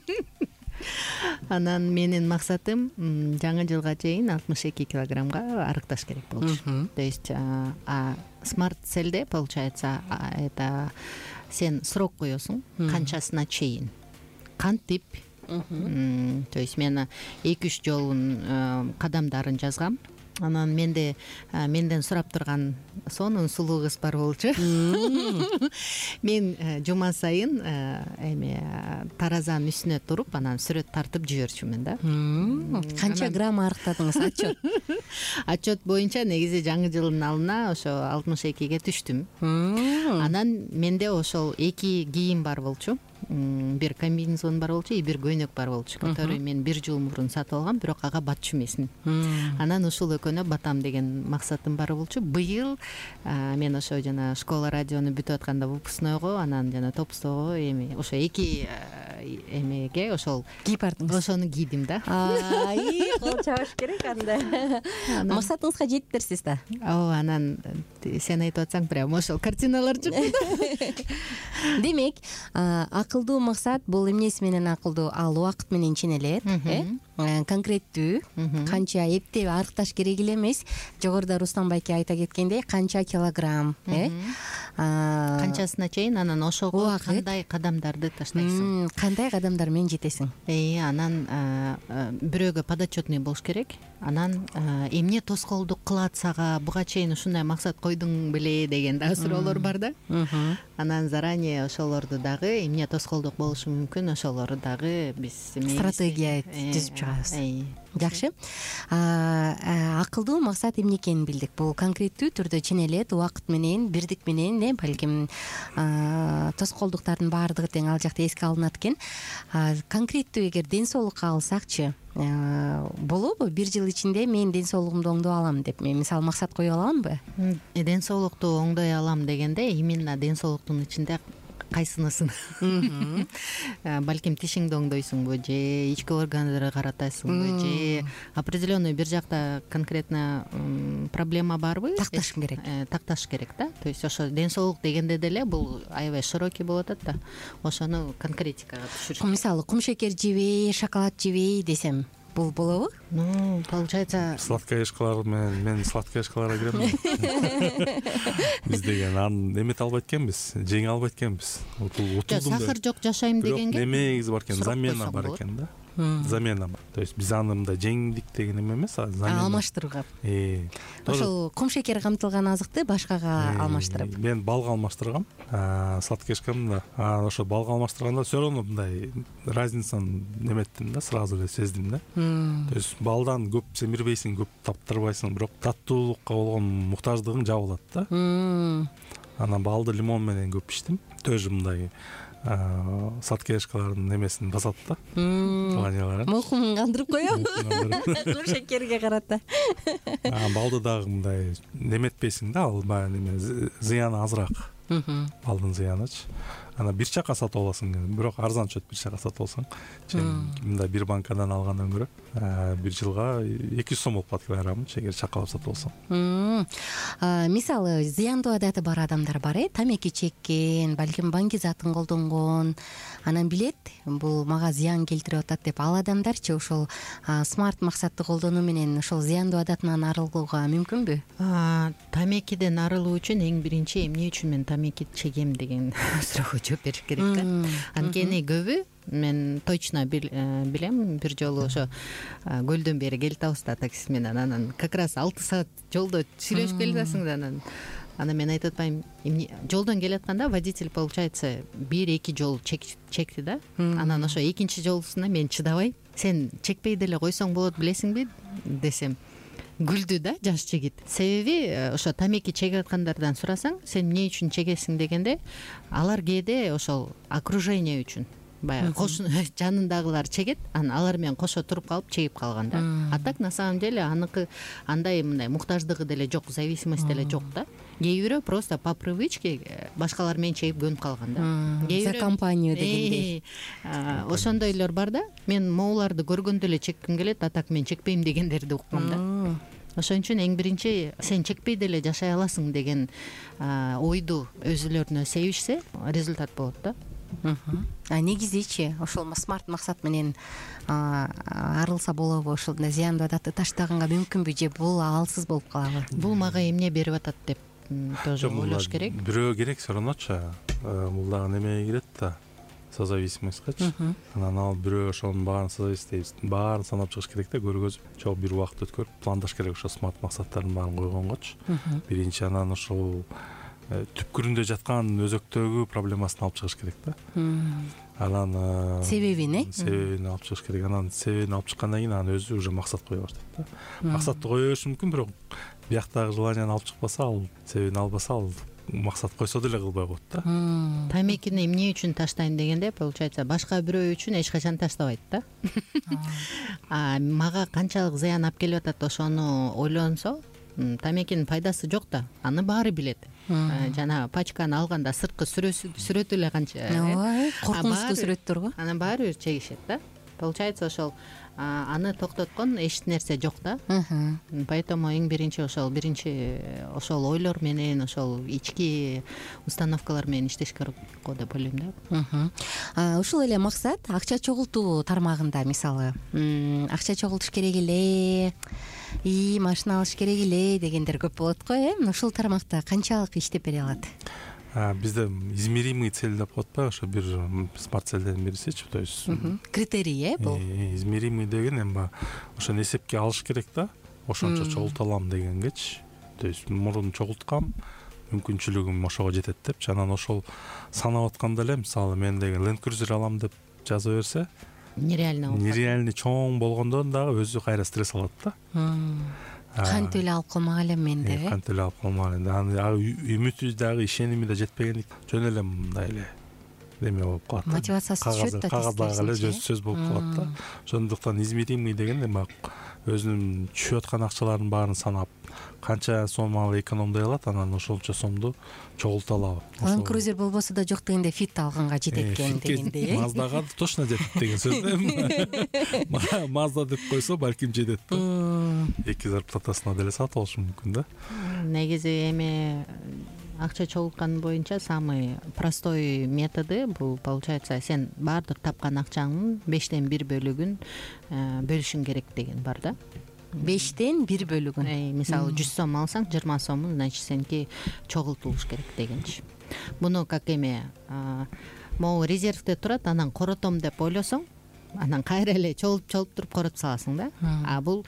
Анан менин максатым жаңы жылга чейин алтымыш эки килограммга арыкташ керек болчу. То есть смарт целде получается это сен срок коесуң, канчасына чейин, кантип. То есть мен эки үч жолун кадамдарын жазгам. Анан менде менден сурап турган сонун сулуу кыз бар болчу. Мен жума сайын эми таразанын үстүнө туруп, анан сүрөт тартып жиберчүмүн да. Канча грамм арыктадыңыз? Отчет. Отчет боюнча негизи жаңы жылдын алдына ошо алтымыш экиге түштүм. Анан менде ошол эки кийим бар болчу. Бир комбинезон бар болчу, и бир көйнөк бар болчу, который мен бир жыл мурун сатып алгам, бирок ага батчу эмесмин. Анан ушул экөөнө батам деген максатым бар болчу. Быйыл мен ошо жана школа радиону бүтүп атканда выпускнойго, анан жана топустогу эми ошо эки эмеге ошол кийип бардыңыз. Ошону кийдим да. Ай, кол чабыш керек анда. Максатыңызга жеттирсиз да. Ооба, анан сен айтып атсаң прям ошол картиналар чыкты. Демек, акылдуу максат бул эмнеси менен акылдуу? Ал убакыт менен ченелет, э? Конкреттүү, канча эптеп арыкташ керек эле эмес. Жогоруда Рустам байке айта кеткендей, канча килограмм, э? Канчасына чейин, анан ошого кандай кадамдарды таштайсың? Кандай кадамдар менен жетесиң? Э, анан бирөөгө подотчетный болуш керек. Анан эмне тоскоолдук кылат сага, буга чейин ушундай максат койдуң беле деген да суроолор бар да. Анан заранее ошолорду дагы эмне тоскоолдук болушу мүмкүн, ошолорду дагы биз стратегия түзүп чыгабыз. Жакшы. Акылдуу максат эмне экенин билдик. Бул конкреттүү түрдө ченелет, убакыт менен, бирдик менен, э, балким тоскоолдуктардын баардыгы тең ал жакта эске алынат экен. Конкреттүү эгер ден соолукка алсакчы, болобу? Бир жыл ичинде мен ден соолугумду оңдоп алам деп мен мисалы максат коюп аламбы? Ден соолукту оңдой алам дегенде именно ден соолуктун ичинде кайсынысын? Балким тишиңди оңдойсуңбу, же ички органдарды каратасыңбы, же определенный бир жакта конкретно проблема барбы? Такташ керек. Такташ керек да. То есть ошо ден соолук дегенде деле бул аябай широкий болуп атат да. Ошону конкретикага түшүрүш. Мисалы, кумшекер жебей, шоколад жебей десем, бул болобу? Ну, получается, сладкоежкалар менен мен сладкоежкаларга кирем. Биз деген аны эмете албайт экенбиз, жеңе албайт экенбиз. Сахар жок жашайм дегенге немеги бар экен, замена бар экен да. Замена бар. То есть биз аны мындай жеңдик деген эме эмес, а замена. Алмаштырууга. Э. Ошол кумшекер камтылган азыкты башкага алмаштырып. Мен балга алмаштыргам. Сладкоежкамда ошо балга алмаштырганда все равно мындай разницаны неметтим да, сразу эле сездим да. То есть балдан көп семирбейсиң, көп таптырбайсың, бирок таттуулукка болгон муктаждыгың жабылат да. Анан балды лимон менен көп иштим. Тоже мындай сладкоежкалардын немесин басат да. Желаниялары. Мокумун кандырып коем. Кум шекерге карата. Балды дагы мындай неметпейсиң да, ал баягы неме зыяны азыраак. Балдын зыянычы. анан бир чака сатып аласың, бирок арзан түшөт бир чака сатып алсаң. Мындай бир банкадан алгандан көрө бир жылга эки жүз сом болуп калат килограммы, эгер чакалап сатып алсаң. Мисалы, зыяндуу адаты бар адамдар бар, э, тамеки чеккен, балким банги затын колдонгон, анан билет бул мага зыян келтирип атат деп, ал адамдарчы ошол смарт максатты колдонуу менен ошол зыяндуу адатынан арылууга мүмкүнбү? Тамекиден арылуу үчүн эң биринчи эмне үчүн мен тамеки чегем деген суроого жооп бериш керек да. Анткени көбү, мен точно билем, бир жолу ошо көлдөн бери келип атабыз такси менен, анан как раз алты саат жолдо сүйлөшүп келе жатасың да, анан анан мен айтып атпайм, жолдон келатканда водитель получается бир эки жол чекти да, анан ошо экинчи жолусунда мен чыдабай, сен чекпей деле койсоң болот билесиңби десем, күлдү да жаш жигит. Себеби ошо тамеки чегип аткандардан сурасаң, сен эмне үчүн чегесиң дегенде, алар кээде ошол окружение үчүн, баягы кошун жанындагылар чегет, анан алар менен кошо туруп калып чегип калган да. А так на самом деле аныкы андай мындай муктаждыгы деле жок, зависимость деле жок да. Кээ бирөө просто по привычке башкалар менен чегип көнүп калган да. За компанию дегендей. Ошондойлор бар да. Мен моуларды көргөндө эле чекким келет, а так мен чекпейм дегендерди уккам да. Ошон үчүн эң биринчи сен чекпей деле жашай аласың деген ойду өзүлөрүнө себишсе, результат болот да. А негизичи ошол смарт максат менен арылса болобу, ошондой зыяндуу адатты таштаганга мүмкүнбү, же бул аалсыз болуп калабы? Бул мага эмне берип атат деп тоже ойлош керек. Бирөө керек все равночу, бул дагы немеге кирет да, созависимостькачы. Анан ал бирөө ошонун баарын созависимость баарын санап чыгыш керек да, көргөзүп, чогуу бир убакыт өткөрүп пландаш керек ошо смарт максаттардын баарын койгонгочу. Биринчи анан ошол түпкүрүндө жаткан өзөктөгү проблемасын алып чыгыш керек да. Анан себебин, э? Себебин алып чыгыш керек. Анан себебин алып чыккандан кийин анан өзү уже максат кое баштайт да. Максатты кое бериши мүмкүн, бирок бияктагы желанияны алып чыкпаса, ал себебин албаса, ал максат койсо деле кылбай коет да. Тамекини эмне үчүн таштайм дегенде, получается, башка бирөө үчүн эч качан таштабайт да. А мага канчалык зыян алып келип атат ошону ойлонсо, тамекинин пайдасы жок да, аны баары билет. Жана пачканы алганда сырткы сүрөтү эле канча, ооба, коркунучтуу сүрөттөр го. Анан баары бир чегишет да. Получается, ошол аны токтоткон эч нерсе жок да. Поэтому эң биринчи ошол биринчи ошол ойлор менен, ошол ички установкалар менен иштеш керек го деп ойлойм да. Ушул эле максат акча чогултуу тармагында, мисалы, акча чогултуш керек эле, и машина алыш керек эле дегендер көп болот го, э? Ушул тармакта канчалык иштеп бере алат? Бизде измеримый цель деп коет ба, ошо бир смарт целдердин бирисичи, то есть критерий, э, бул. Измеримый деген эми ошону эсепке алыш керек да, ошончо чогулта алам дегенгечи. То есть мурун чогулткам, мүмкүнчүлүгүм ошого жетет депчи. Анан ошол санап атканда эле, мисалы, мен деген Land Cruiser алам деп жаза берсе, нереально болот. Нереально чоң болгондо дагы өзү кайра стресс алат да. Кантип эле алып калмак элем мен деп, э? Кантип эле алып калмак элем. Анан үмүтү дагы, ишеними да жетпегендик, жөн эле мындай эле неме болуп калат. Мотивациясы түшөт да, кагаздагы эле сөз болуп калат да. Ошондуктан измеримый деген эми өзүнүн түшүп аткан акчалардын баарын санап, канча сомалы экономдой алат, анан ошолчо сомду чогулта алабы. Land Cruiser болбосо да жок дегенде фит алганга жетет экен дегендей, э? Маздага точно жетет деген сөз да. Мазда деп койсо балким жетет да. Эки зарплатасына деле сатып алышы мүмкүн да. Негизи эми акча чогулткан боюнча самый простой методу бул, получается, сен баардык тапкан акчаңдын бештен бир бөлүгүн бөлүшүң керек деген бар да. Бештен бир бөлүгүн. Мисалы, жүз сом алсаң, жыйырма сомун, значит, сеники чогултулуш керек дегенчи. Буну как эме, могу резервде турат, анан коротом деп ойлосоң, анан кайра эле чогулуп-чогулуп туруп коротуп саласың да. А бул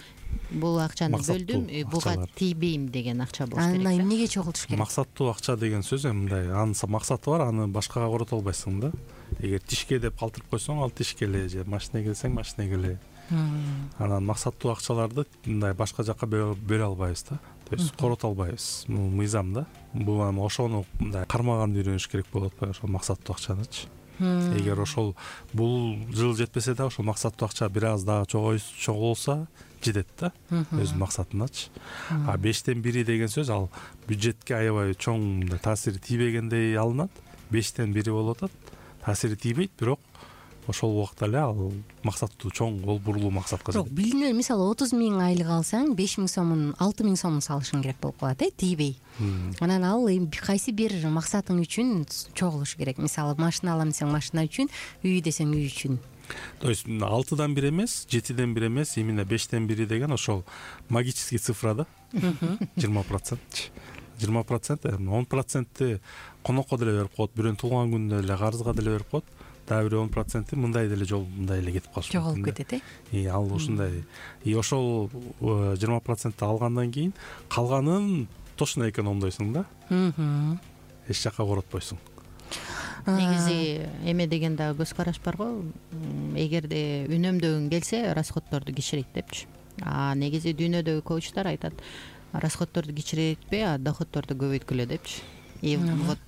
бул акчаны бөлдүм, буга тийбейм деген акча болуш керек. Анан эмнеге чогултуш керек? Максаттуу акча деген сөз мындай, анын максаты бар, аны башкага корото албайсың да. Эгер тишке деп калтырып койсоң, ал тишке эле, же машинеге келсең, машинеге эле. Анан максаттуу акчаларды мындай башка жакка бөлө албайбыз да. То есть корото албайбыз. Бул мыйзам да. Бул эми ошону мындай кармаганды үйрөнүш керек болуп атпайбы, ошол максаттуу акчанычы. Эгер ошол бул жыл жетпесе да, ошол максаттуу акча бир аз дагы чогулса жетет да, өзүнүн максатыначы. А бештен бири деген сөз ал бюджетке аябай чоң таасири тийбегендей алынат. бештен бири болуп атат, таасири тийбейт, бирок ошол убакта эле ал максаттуу чоң гол бурулуу максатка жок, билине мисалы отуз миң айлык алсаң беш миң сомун алты миң сомун салышың керек болуп калат э, тийбей. Анан ал кайсы бир максатың үчүн чогулуш керек. Мисалы машина алам десең машина үчүн, үй десең үй үчүн. То есть алтыдан бир эмес, жетиден бир эмес, именно бештен бири деген ошол магический цифра да. жыйырма процент. жыйырма процент, он процентти конокко деле берип коет, бирөөнүн туулган күнүнө деле карызга деле берип коет. Дагы бир он проценти мындай деле жол мындай эле кетип калышы мүмкүн. Жоголуп кетет э. И ал ушундай. И ошол жыйырма процентти алгандан кийин калганын точно экономдойсуң да. Эч жакка коротпойсуң. Негизи эме деген дагы көз караш бар го. Эгерде үнөмдөгүң келсе, расходторду кичирейт депчи. А негизи дүйнөдөгү коучтар айтат, расходторду кичирейтпей, а доходторду көбөйткүлө депчи. И вот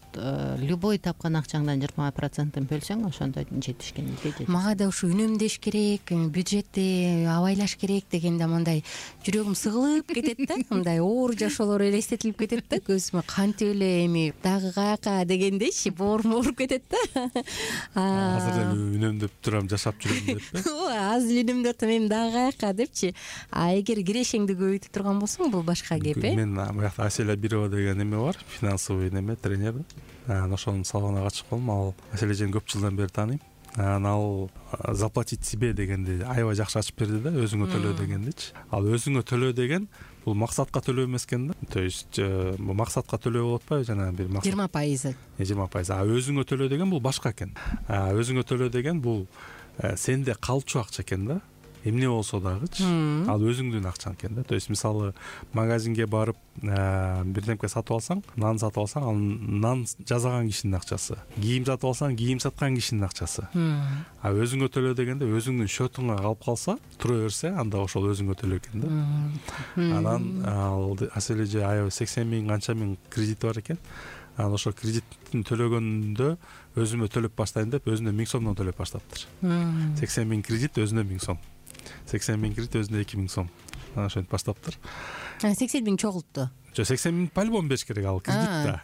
любой тапкан акчаңдан жыйырма процентин бөлсөң, ошондо жетишкен ийди. Мага да ушу үнөмдөш керек, бюджетти абайлаш керек дегенде мындай жүрөгүм сыгылып кетет да, мындай оор жашоолор элестетилип кетет да, көзүмө кантип эле эми дагы каяка дегендейчи, боорум ооруп кетет да. Азыр эле үнөмдөп турам, жашап жүрөм деппи? Азыр эле үнөмдөп турам, эми дагы каяка депчи. А эгер кирешеңди көбөйтүп турган болсоң, бул башка кеп э. Мен буякта Аселя Бирова деген эме бар, финансовый неме тренер. Анан ошонун салонуна катышып калдым. Ал Асележени көп жылдан бери тааныйм. Анан ал заплатить себе дегенди аябай жакшы ачып берди да, өзүңө төлөө дегендичи. Ал өзүңө төлөө деген бул максатка төлөө эмес экен да. То есть максатка төлөө болуп атпайбы, жана бир максат жыйырма пайызы. жыйырма пайыз. А өзүңө төлөө деген бул башка экен. А өзүңө төлөө деген бул сенде калчу акча экен да. Эмне болсо дагычы, ал өзүңдүн акчаң экен да. То есть мисалы магазинге барып бирдемке сатып алсаң, нан сатып алсаң, ал нан жасаган кишинин акчасы. Кийим сатып алсаң, кийим саткан кишинин акчасы. А өзүңө төлөө дегенде өзүңдүн счетуңа калып калса, тура берсе, анда ошол өзүңө төлөө экен да. Анан ал Асележе аябай сексен миң канча миң кредити бар экен. Анан ошол кредиттин төлөгөндө өзүмө төлөп баштайын деп, өзүнө миң сомдон төлөп баштаптыр. сексен миң кредит, өзүнө миң сом. сексен миң кредит, өзүнө эки миң сом. Анан ошентип баштаптыр. сексен миң чогултту. Жок, сексен миң по-любому бериш керек, ал кредит да.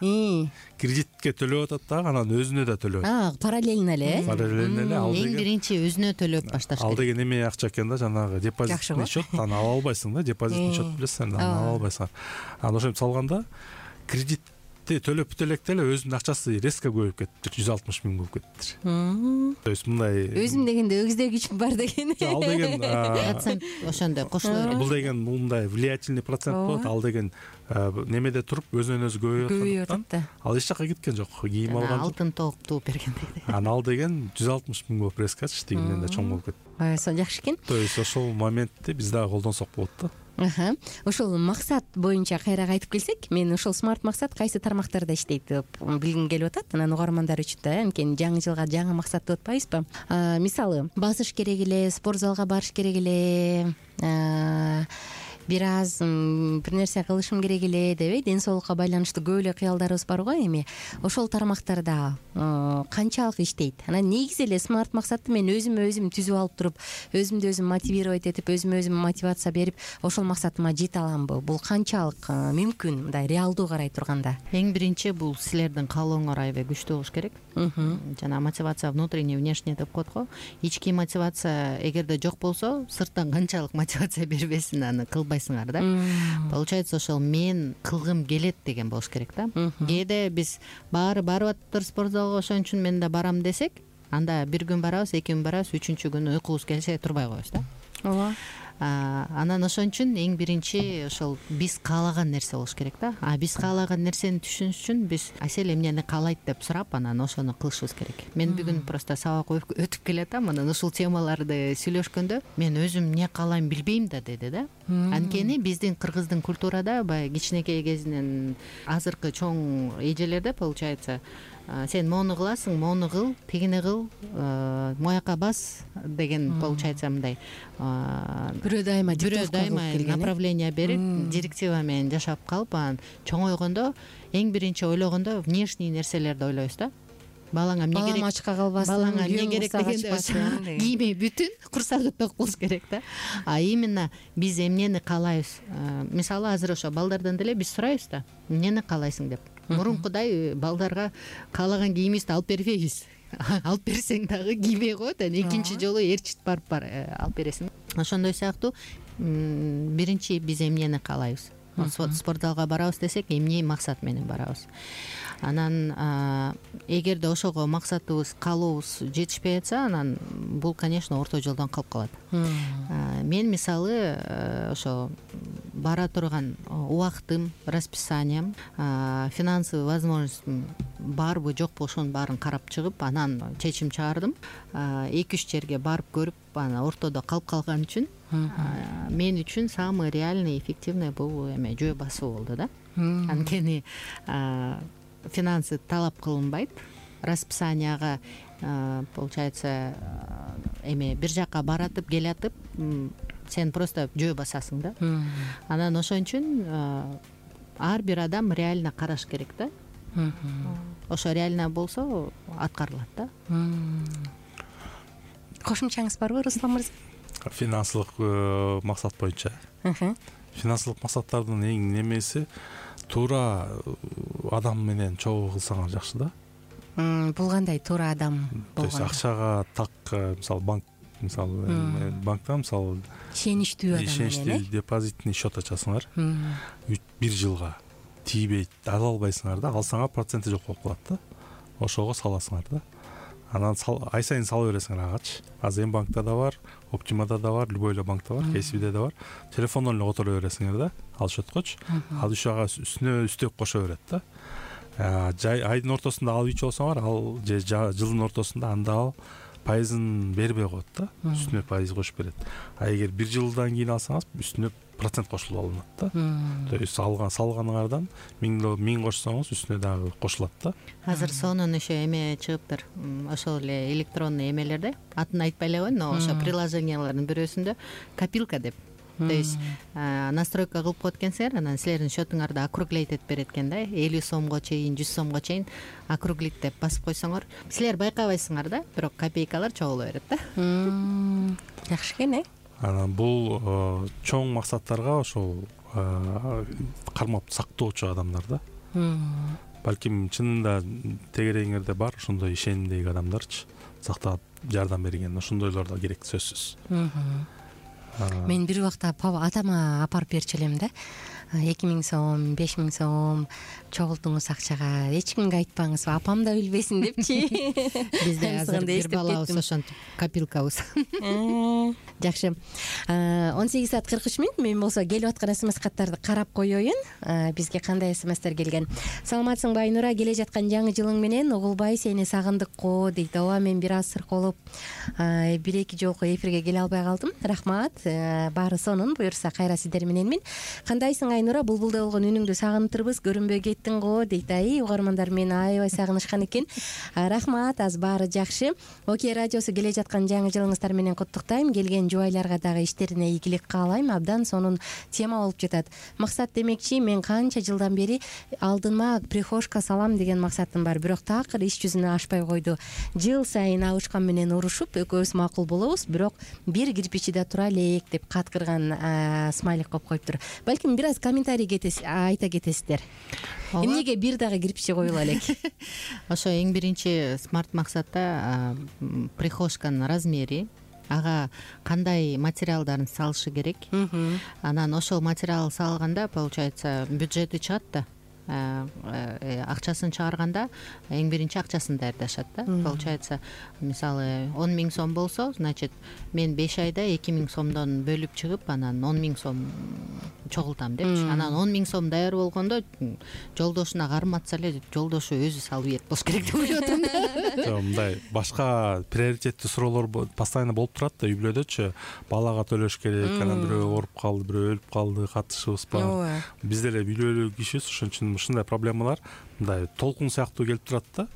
Кредитке төлөп атат да, анан өзүнө да төлөп. А, параллельно эле. Параллельно эле. Ал Эң биринчи өзүнө төлөп башташ керек. Ал деген эме акча экен да, жанагы депозитный счет, аны ала албайсың да, депозитный счет билесиң, аны ала албайсың. Анан ошентип салганда кредит төлөп бүтө электе эле өзүнүн акчасы резко көбөйүп кетиптир, жүз алтымыш миң болуп кетиптир. То есть мындай өзүм дегенде өгүздөгүчүм бар деген. Ал деген процент ошондой кошуло берет. Бул деген мындай влиятельный процент болот. Ал деген немеде туруп өзүнөн өзү көбөйүп атат да. Ал эч жакка кеткен жок, кийим алган. Алтын тоок тууп бергендей. Анан ал деген жүз алтымыш миң болуп резкочу, тигинден да чоң болуп кетти. Аса жакшы экен. То есть ошол моментти биз дагы колдонсок болот да. Аха. Ошол максат боюнча кайра кайтып келсек, мен ошол смарт максат кайсы тармактарда иштейт деп билгим келип атат. Анан угармандар үчүн да, анткени жаңы жылга жаңы максат деп атпайбызбы? Мисалы, басыш керек эле, спорт залга барыш керек эле, бир аз бир нерсе кылышым керек эле деп, ден соолукка байланыштуу көп эле кыялдарыбыз бар го эми. Ошол тармактарда канчалык иштейт? Анан негизи эле смарт максатты мен өзүмө өзүм түзүп алып туруп, өзүмдү өзүм мотивировать этип, өзүмө өзүм мотивация берип, ошол максатыма жете аламбы? Бул канчалык мүмкүн, мындай реалдуу карай турганда? Эң биринчи бул силердин каалооңор аябай күчтүү болуш керек. Жана мотивация внутренний, внешний деп коет го. Ички мотивация эгерде жок болсо, сырттан канчалык мотивация бербесин, аны кылбайсыңар да. Получается, ошол мен кылгым келет деген болуш керек да. Кээде биз баары барып атыптыр спорт залга, ошон үчүн мен да барам десек, анда бир күн барабыз, эки күн барабыз, үчүнчү күнү уйкубуз келсе турбай коебуз да. Ооба. Анан ошон үчүн эң биринчи ошол биз каалаган нерсе болуш керек да. А биз каалаган нерсени түшүнүш үчүн биз Асел эмнени каалайт деп сурап, анан ошону кылышыбыз керек. Мен бүгүн просто сабак өтүп келатам, анан ушул темаларды сүйлөшкөндө мен өзүм эмне каалайм билбейм да деди да. Анткени биздин кыргыздын культурада баягы кичинекей кезинен азыркы чоң эжелерде получается, сен мону кыласың, мону кыл, тигини кыл, мояка бас деген получается мындай. Бирөө дайыма бирөө дайыма направление берип, директива менен жашап калып, анан чоңойгондо эң биринчи ойлогондо внешний нерселерди ойлойбуз да. Балаңа эмне керек? Балам ачка калбасын, балаңа эмне керек дегенде кийими бүтүн, курсагы ток болуш керек да. А именно биз эмнени каалайбыз? Мисалы азыр ошо балдардан деле биз сурайбыз да, эмнени каалайсың деп. мурункудай балдарга каалаган кийимибизди алып бербейбиз. Алып берсең дагы кийбей коет, анан экинчи жолу ээрчитип барып бар алып бересиң. Ошондой сыяктуу биринчи биз эмнени каалайбыз? Спорт залга барабыз десек, эмне максат менен барабыз. Анан эгерде ошого максатыбыз, каалообуз жетишпей атса, анан бул, конечно, орто жолдон калып калат. Мен мисалы ошо бара турган убактым, расписаниям, финансовый возможностьум барбы жокпу, ошонун баарын карап чыгып, анан чечим чыгардым. эки үч жерге барып көрүп, анан ортодо калып калган үчүн мен үчүн самый реальный, эффективный бул эме жөө басуу болду да. Анткени финансы талап кылынбайт. Расписанияга получается эме бир жака баратып келатып, сен просто жөө басасың да. Анан ошон үчүн ар бир адам реально караш керек да. Ошо реально болсо аткарылат да. Кошумчаңыз барбы, Руслан мырза? Финансылык максат боюнча. Финансылык максаттардын эң немеси туура адам менен чогуу кылсаңар жакшы да. Бул кандай туура адам болгон? То есть акчага так, мисалы банк, мисалы банкта мисалы ишеничтүү адам менен, ишеничтүү депозитный счет ачасыңар. бир жылга тийбейт, ала албайсыңар да, алсаңар проценти жок болуп калат да. Ошого саласыңар да. Анан ай сайын сала бересиңер агачы. Азыр эми банкта да бар, Оптимада да бар, любой эле банкта бар, кесибиде да бар. Телефондон эле которо бересиңер да, ал счеткочу. Ал ушага үстүнө үстөп кошо берет да. Жай айдын ортосунда алып ичип алсаңар, ал же жылдын ортосунда анда ал пайызын бербей коет да, үстүнө пайыз кошуп берет. А эгер бир жылдан кийин алсаңыз, үстүнө процент кошулуп алынат да. То есть алган салганыңардан миң кошсоңуз үстүнө дагы кошулат да. Азыр сонун ошо эме чыгыптыр. Ошол эле электронный эмелерде, атын айтпай эле коеюн, но ошо приложениялардын бирөөсүндө копилка деп. То есть настройка кылып коет экенсиңер, анан силердин счетуңарды округлейт этип берет экен да. элүү сомго чейин, жүз сомго чейин округлить деп басып койсоңор, силер байкабайсыңар да, бирок копейкалар чогула берет да. Жакшы экен, э? Анан бул чоң максаттарга ошол кармап сактоочу адамдар да. Балким чынында тегерегиңерде бар ошондой ишенимдеги адамдарчы, сактап жардам берген, ошондойлор да керек, сөзсүз. Мен бир убакта атама апарып берчү элем да. эки миң сом, беш миң сом чогултуңуз акчага, эч кимге айтпаңыз, апам да билбесин депчи. Бизде азыр бир балабыз ошентип копилкабыз. Жакшы. он сегиз саат кырк үч мүнөт. Мен болсо келип аткан смс каттарды карап коеюн. Бизге кандай смстер келген? Саламатсыңбы Айнура, келе жаткан жаңы жылың менен угулбай сени сагындык го дейт. Ооба, мен бир аз сырколуп бир эки жолку эфирге келе албай калдым. Рахмат. Баары сонун, буюрса кайра сиздер мененмин. Кандайсың Айнура, булбулдай болгон үнүңдү сагынтырбыз, көрүнбөй кеттиң го дейт. Ай, угармандар мени аябай сагынышкан экен. Рахмат, аз баары жакшы. Окей радиосу келе жаткан жаңы жылыңыздар менен куттуктайм. Келген жубайларга дагы иштерине ийгилик каалайм. Абдан сонун тема болуп жатат. Максат демекчи, мен канча жылдан бери алдыма прихожка салам деген максатым бар, бирок такыр иш жүзүнө ашпай койду. Жыл сайын Абышкан менен урушуп, экөөбүз макул болобуз, бирок бир кирпичиде тура элек деп каткырган смайлик коюп коюптур. Балким бир аз комментарий айта кетесиздер. Эмнеге бир дагы кирпичи коюла элек? Ошо эң биринчи смарт максатта прихожканын размери, ага кандай материалдарын салышы керек. Анан ошол материал салганда, получается, бюджети чыгат да. Акчасын чыгарганда эң биринчи акчасын даярдашат да. Получается, мисалы он миң сом болсо, значит, мен беш айда эки миң сомдон бөлүп чыгып, анан он миң сом чогултам депчи. Анан он миң сом даяр болгондо жолдошуна карматса эле, жолдошу өзү салып берет болуш керек деп ойлоп атам да. Жок, мындай башка приоритеттүү суроолор постоянно болуп турат да, үй бүлөдөчү. Балага төлөш керек, анан бирөө ооруп калды, бирөө өлүп калды, катышыбыз бар. Биз деле үй бүлөлүк кишибиз, ошон үчүн ушундай проблемалар мындай толкун сыяктуу келип турат да.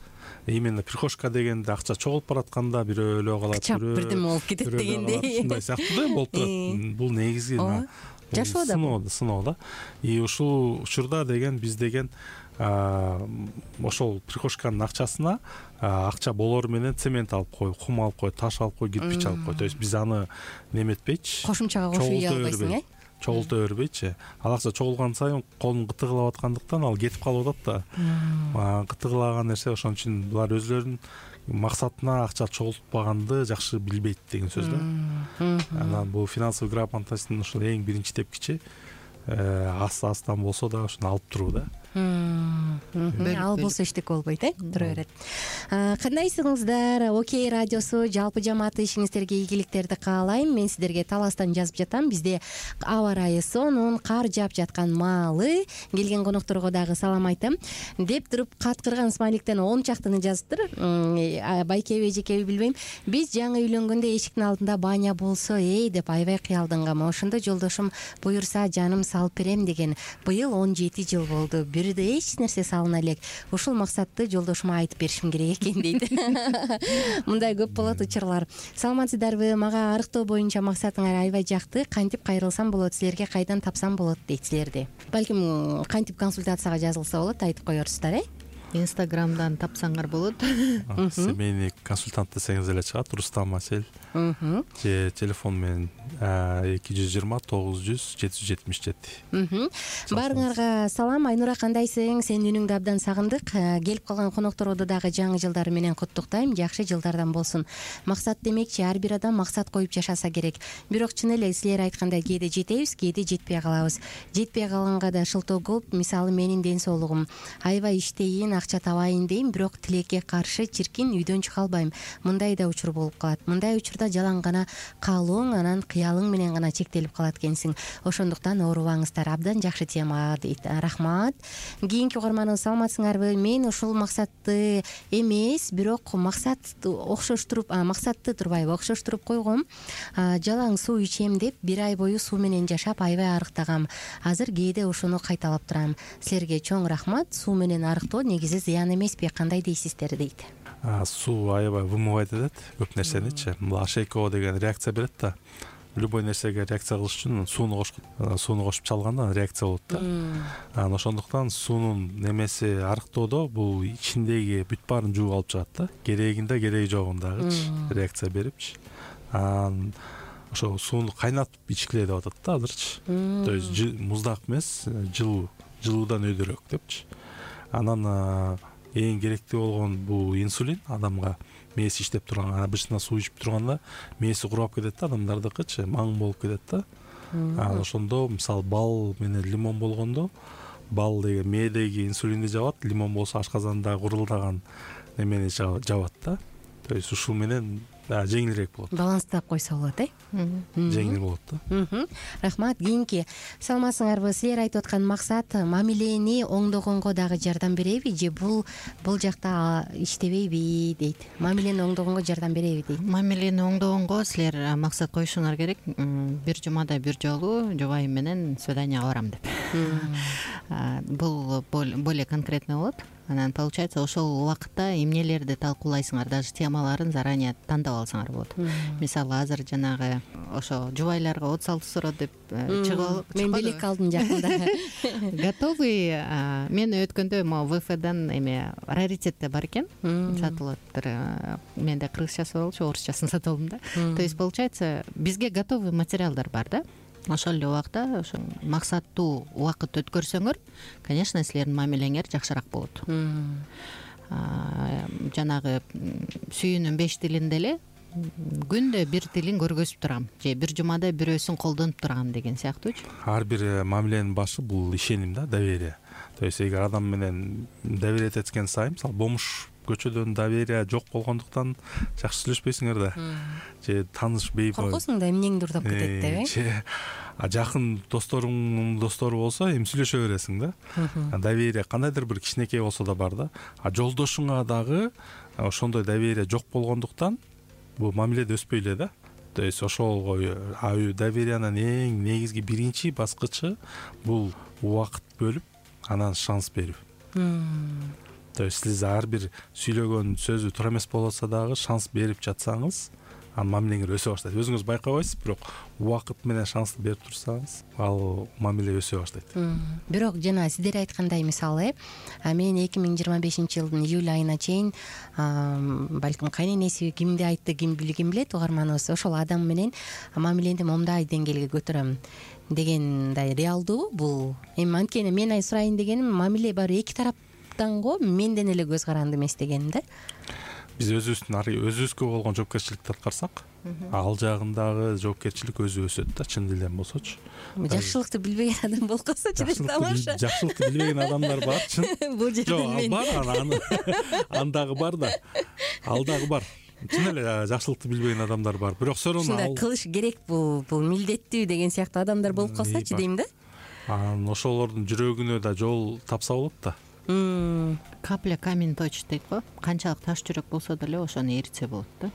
Именно прихожка дегенде акча чогулуп баратканда бирөө өлө калат, бирөө бирдеме болуп кетет дегендей. Ушундай сыяктуу да болуп турат. Бул негизги жашоо да, сыноо да. И ушул учурда деген биз деген ошол прихожканын акчасына акча болор менен цемент алып кой, кум алып кой, таш алып кой, кирпич алып кой. То есть биз аны неметпейчи. Кошумчага кошуп үй албайсың, э? чогулта бербейчи. Ал акча чогулган сайын колун кытыгылап аткандыктан ал кетип калып атат да. Кытыгылаган нерсе ошон үчүн булар өзлөрүнүн максатына акча чогултпаганды жакшы билбейт деген сөз да. Анан бул финансовый грамотностьтун ушул эң биринчи тепкичи аста-астан болсо да ошону алып туруу да. Ал болсо эчтеке болбойт, э? Тура берет. Кандайсыңыздар? Окей радиосу жалпы жамааты ишиңиздерге ийгиликтерди каалайм. Мен сиздерге Таластан жазып жатам. Бизде аба ырайы сонун, кар жаап жаткан маалы. Келген конокторго дагы салам айтам. Деп туруп каткырган смайликтен он чактыны жазыптыр. Байкеби, эжекеби билбейм. Биз жаңы үйлөнгөндө эшиктин алдында баня болсо, эй деп аябай кыялдангам. Ошондо жолдошум буюрса жаным салып берем деген. Быйыл он жети жыл болду. Бирде эч нерсе салына элек. Ушул максатты жолдошума айтып беришим керек экен дейт. Мындай көп болот учурлар. Саламатсыздарбы? Мага арыктоо боюнча максатыңар аябай жакты. Кантип кайрылсам болот? Силерге кайдан тапсам болот дейт силерди. Балким кантип консультацияга жазылса болот, айтып коерсуздар, э? Инстаграмдан тапсаңар болот. Семейный консультант десеңиз эле чыгат. Рустам Асель. Же телефон менен эки жүз жыйырма тогуз жүз жети жүз жетимиш жети. Баарыңарга салам. Айнура, кандайсың? Сенин үнүңдү абдан сагындык. Келип калган конокторду дагы жаңы жылдары менен куттуктайм. Жакшы жылдардан болсун. Максат демекчи, ар бир адам максат коюп жашаса керек. Бирок чын эле силер айткандай кээде жетебиз, кээде жетпей калабыз. Жетпей калганга да шылтоо көп. Мисалы менин ден соолугум аябай иштейин, акча табайын дейм, бирок тилекке каршы чиркин үйдөн чыга албайм. Мындай да учур болуп калат. Мындай учурда жалаң гана каалооң, анан кыялың менен гана чектелип калат экенсиң. Ошондуктан оорубаңыздар. Абдан жакшы тема дейт. Рахмат. Кийинки угарманыбыз, саламатсыңарбы? Мен ушул максатты эмес, бирок максат окшоштуруп, максатты турбайбы, окшоштуруп койгом. Жалаң суу ичем деп бир ай бою суу менен жашап аябай арыктагам. Азыр кээде ошону кайталап турам. Силерге чоң рахмат. Суу менен арыктоо негизи зыян эмеспи? Кандай дейсиздер дейт. Суу аябай вымывайт этет көп нерсеничи. Бул Ашейкова деген реакция берет да. Любой нерсеге реакция кылыш үчүн сууну кошкут. Сууну кошуп чалганда реакция болот да. Анан ошондуктан суунун немеси арыктоодо бул ичиндеги бүт баарын жууп алып чыгат да. Керегинде, кереги жогундагычы реакция берипчи. Анан ошо сууну кайнатып ичкиле деп атат да азырчы. То есть муздак эмес, жылуу, жылуудан өйдөрөөк депчи. Анан эң керектүү болгон бул инсулин адамга мээси иштеп турган. Обычно суу ичип турганда мээси курап кетет да, адамдардыкычы маң болуп кетет да. Анан ошондо мисалы бал менен лимон болгондо, бал деген мээдеги инсулинди жабат, лимон болсо ашказандагы курулдаган немени жабат да. То есть ушул менен жеңилирээк болот. Баланстап койсо болот, э? Жеңил болот да. Рахмат. Кийинки, саламатсыңарбы? Силер айтып аткан максат мамилени оңдогонго дагы жардам береби же бул бул жакта иштебейби дейт. Мамилени оңдогонго жардам береби дейт. Мамилени оңдогонго силер максат коюшуңар керек. Бир жумада бир жолу жубайым менен свиданияга барам деп. Бул более конкретный болот. Анан получается ошол убакытта эмнелерди талкуулайсыңар, даже темаларын заранее тандап алсаңар болот. Мисалы азыр жанагы ошо жубайларга отуз алты суроо деп чыгып, мен белек алдым жакында. Готовый. Мен өткөндө могу ВФдан эме раритетте бар экен, сатылып атыптыр. Менде кыргызчасы болчу, орусчасын сатып алдым да. То есть получается бизге готовый материалдар бар да. Ошол эле убакта ошо максаттуу убакыт өткөрсөңөр, конечно, силердин мамилеңер жакшыраак болот. Жанагы сүйүүнүн беш тилинде эле күндө бир тилин көргөзүп турам же бир жумада бирөөсүн колдонуп турам деген сыяктуучу. Ар бир мамиленин башы бул ишеним да, доверие. То есть эгер адам менен доверие эткен сайын, мисалы бомуш көчөдөн доверие жок болгондуктан жакшы сүйлөшпөйсүңөр да. Же таанышпай коркосуң да эмнеңди урдап кетет деп, э? Же жакын досторуңдун достору болсо эми сүйлөшө бересиң да. Доверие кандайдыр бир кичинекей болсо да бар да. А жолдошуңа дагы ошондой доверие жок болгондуктан бул мамиледе өспөй эле да. То есть ошол довериянын эң негизги биринчи баскычы бул убакыт бөлүп, анан шанс берүү. То есть сиз ар бир сүйлөгөн сөзү туура эмес болсо дагы шанс берип жатсаңыз, анын мамилеңер өсө баштайт. Өзүңүз байкабайсыз, бирок убакыт менен шансты берип турсаңыз, ал мамиле өсө баштайт. Бирок жана сиздер айткандай, мисалы, мен эки миң жыйырма бешинчи жылдын июль айына чейин балким кайненеси кимди айтты, ким ким билет, угарманыбыз ошол адам менен мамилени момундай деңгээлге көтөрөм дегендай реалдуу бул. Эми анткени мен сурайын дегеним, мамиле баары эки тараптан го, менден эле көз каранды эмес дегеним да. Биз өзүбүздүн өзүбүзгө болгон жоопкерчиликти аткарсак, ал жагындагы жоопкерчилик өзү өсөт да, чын дилден болсочу. Жакшылыкты билбеген адам болкосочу деп тамаша. Жакшылыкты билбеген адамдар бар, чын. Бул жерден мен. Бар, андагы бар да. Ал дагы бар. Чын эле жакшылыкты билбеген адамдар бар. Бирок сорон ал кылыш керек, бул бул милдеттүү деген сыяктуу адамдар болуп калсачы дейм да. Анан ошолордун жүрөгүнө да жол тапса болот да. Капля камень точит дейт го. Канчалык таш жүрөк болсо деле ошону эритсе болот да.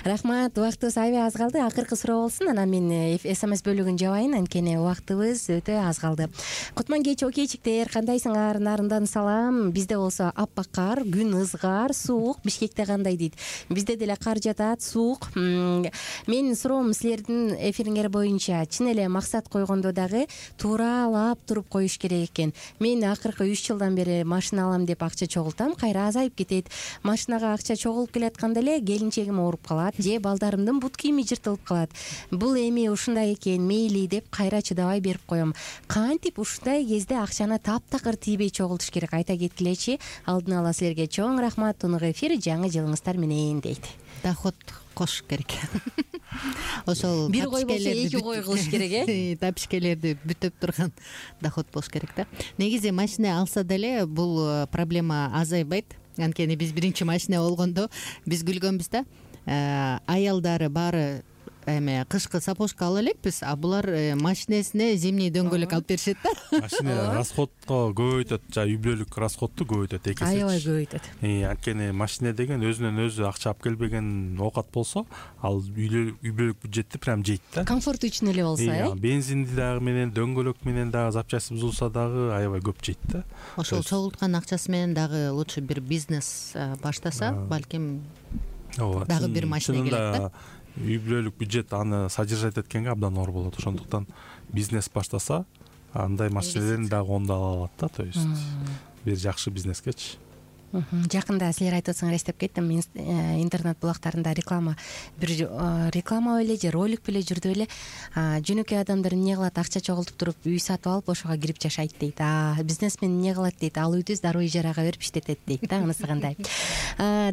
Рахмат, убактыбыз аябай аз калды. Акыркы суроо болсун, анан мен смс бөлүгүн жабайын, анткени убактыбыз өтө аз калды. Кутман кеч, окейчиктер, кандайсыңар? Нарындан салам. Бизде болсо аппак кар, күн ызгар, суук. Бишкекте кандай дейт? Бизде деле кар жатат, суук. Менин суроом силердин эфириңер боюнча чын эле максат койгондо дагы тууралап туруп коюш керек экен. Мен акыркы үч жылдан бери машина алам деп акча чогултам, кайра азайып кетет. Машинага акча чогулуп келатканда эле келинчегим ооруп калат, же балдарымдын бут кийими жыртылып калат. Бул эми ушундай экен, мейли деп кайра чыдабай берип коем. Кантип ушундай кезде акчаны таптакыр тийбей чогултуш керек? Айта кеткилечи. Алдын ала силерге чоң рахмат. Тунук эфир, жаңы жылыңыздар менен дейт. Доход кош керек. Ошол бир кой болсо эки кой кылыш керек, э? Тапишкелерди бүтөп турган доход болуш керек да. Негизи машина алса деле бул проблема азайбайт. Анткени биз биринчи машина болгондо биз күлгөнбүз да. Аялдары баары эме кышкы сапожка ала элекпиз, а булар машинесине зимний дөңгөлөк алып беришет да. Машина расходко көбөйтөт, жана үй бүлөлүк расходту көбөйтөт эки эсе. Аябай көбөйтөт. Анткени машина деген өзүнөн өзү акча алып келбеген оокат болсо, ал үй бүлөлүк бюджетти прям жейт да. Комфорт үчүн эле болсо, э? Бензинди дагы менен, дөңгөлөк менен дагы запчасти бузулса дагы аябай көп жейт да. Ошол чогулткан акчасы менен дагы лучше бир бизнес баштаса, балким дагы бир машина келет да. Үй бүлөлүк бюджет аны содержать эткенге абдан оор болот. Ошондуктан бизнес баштаса, андай машинелерин дагы оңдо ала алат да. То есть бир жакшы бизнескечи. Жакында силер айтып атсаңар эстеп кеттим, интернет булактарында реклама бир реклама беле же ролик беле жүрдү беле. Жөнөкөй адамдар эмне кылат? Акча чогултуп туруп үй сатып алып ошого кирип жашайт дейт. А бизнесмен эмне кылат дейт? Ал үйдү дароо ижарага берип иштетет дейт да. Анысы кандай?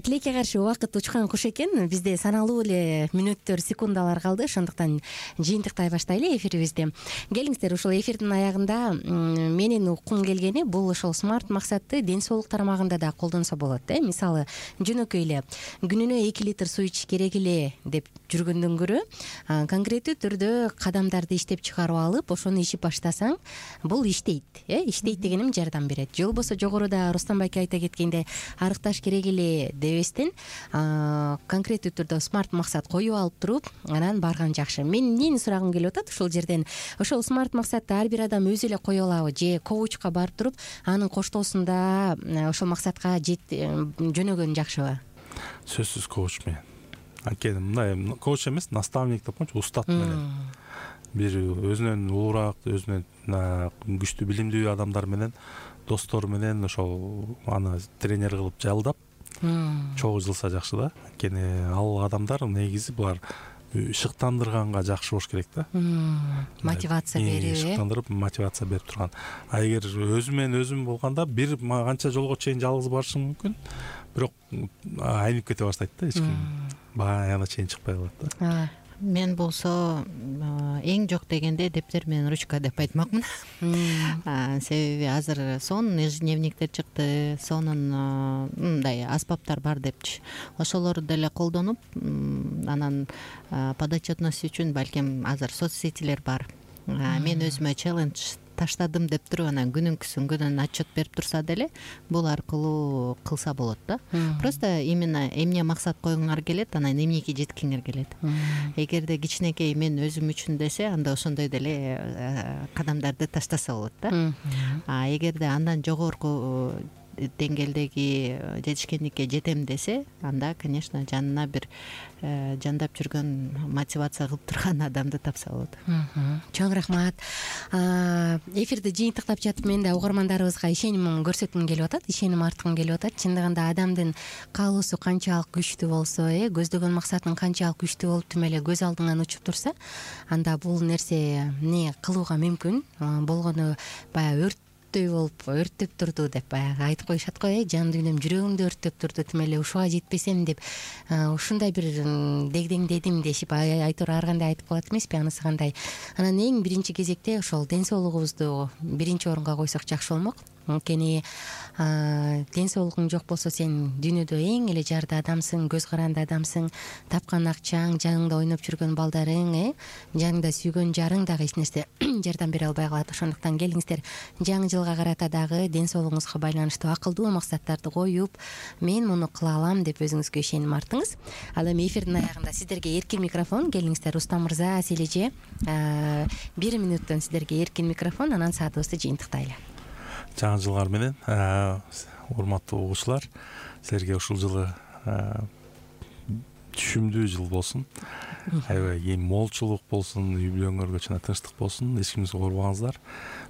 Тилекке каршы убакыт учкан куш экен. Бизде саналуу эле мүнөттөр, секундалар калды. Ошондуктан жыйынтыктай баштайлы эфирибизди. Келиңиздер, ушул эфирдин аягында менин уккум келгени бул ошол смарт максатты ден соолук тармагында да колдонсо болот, э? Мисалы, жөнөкөй эле күнүнө эки литр суу ичиш керек эле деп жүргөндөн көрө, конкреттүү түрдө кадамдарды иштеп чыгарып алып, ошону ичип баштасаң, бул иштейт, э? Иштейт дегеним жардам берет. Же болбосо жогоруда Рустам байке айта кеткендей, арыкташ керек эле дебестен, конкреттүү түрдө смарт максат коюп алып туруп, анан барган жакшы. Мен эмнени сурагым келип атат ушул жерден? Ошол смарт максатты ар бир адам өзү эле кое алабы, же коучка барып туруп, анын коштоосунда ошол максатка жөнөгөн жакшыбы? Сөзсүз коуч менен. Анткени мындай коуч эмес, наставник деп коечу, устат менен. Бир өзүнөн улуураак, өзүнөн күчтүү билимдүү адамдар менен, достор менен ошол аны тренер кылып жалдап чогуу жылса жакшы да. Анткени ал адамдар негизи булар шыктандырганга жакшы болуш керек да. Мотивация берип, шыктандырып, мотивация берип турган. А эгер өзүм менен өзүм болгондо бир канча жолго чейин жалгыз барышым мүмкүн, бирок айнып кете баштайт да, эч ким баягына чейин чыкпай калат да. Мен болсо эң жок дегенде дептер менен ручка деп айтмакмын. Себеби азыр сонун ежедневниктер чыкты, сонун мындай аспаптар бар депчи. Ошолорду деле колдонуп, анан подотчетность үчүн балким азыр соцсетилер бар. Мен өзүмө челлендж таштадым деп туруп, анан күнүнкүсүн күнүн отчет берип турса деле, бул аркылуу кылса болот да. Просто именно эмне максат койгуңар келет, анан эмнеге жеткиңер келет. Эгерде кичинекей мен өзүм үчүн десе, анда ошондой деле кадамдарды таштаса болот да. А эгерде андан жогорку деңгээлдеги жетишкендикке жетем десе, анда, конечно, жанына бир жандап жүргөн, мотивация кылып турган адамды тапса болот. Чоң рахмат. Эфирди жыйынтыктап жатып, мен да угармандарыбызга ишенимин көрсөткүм келип атат, ишеним арткым келип атат. Чындыгында адамдын каалоосу канчалык күчтүү болсо, э көздөгөн максатын канчалык күчтүү болуп тим эле көз алдыңан учуп турса, анда бул нерсе эмне кылууга мүмкүн. Болгону баягы өрт болуп өрттөп турду деп баягы айтып коюшат го, э жан дүйнөм, жүрөгүмдү өрттөп турду, тим эле ушуга жетпесем деп ушундай бир дегдеңдедим дешип айтор ар кандай айтып калат эмеспи, анысы кандай. Анан эң биринчи кезекте ошол ден соолугубузду биринчи орунга койсок жакшы болмок. Анткени ден соолугуң жок болсо, сен дүйнөдө эң эле жарды адамсың, көз каранды адамсың. Тапкан акчаң, жаныңда ойноп жүргөн балдарың, э жаныңда сүйгөн жарың дагы эч нерсе жардам бере албай калат. Ошондуктан келиңиздер, жаңы жылга карата дагы ден соолугуңузга байланыштуу акылдуу максаттарды коюп, мен муну кыла алам деп өзүңүзгө ишеним артыңыз. Ал эми эфирдин аягында сиздерге эркин микрофон. Келиңиздер, Рустам мырза, Сележе, бир мүнөттөн сиздерге эркин микрофон, анан саатыбызды жыйынтыктайлы. Жаңы жылыңар менен, урматтуу угуучулар, силерге ушул жылы түшүмдүү жыл болсун. Аябай эң молчулук болсун, үй бүлөңөргө чына тынчтык болсун, эч кимди оорубаңыздар.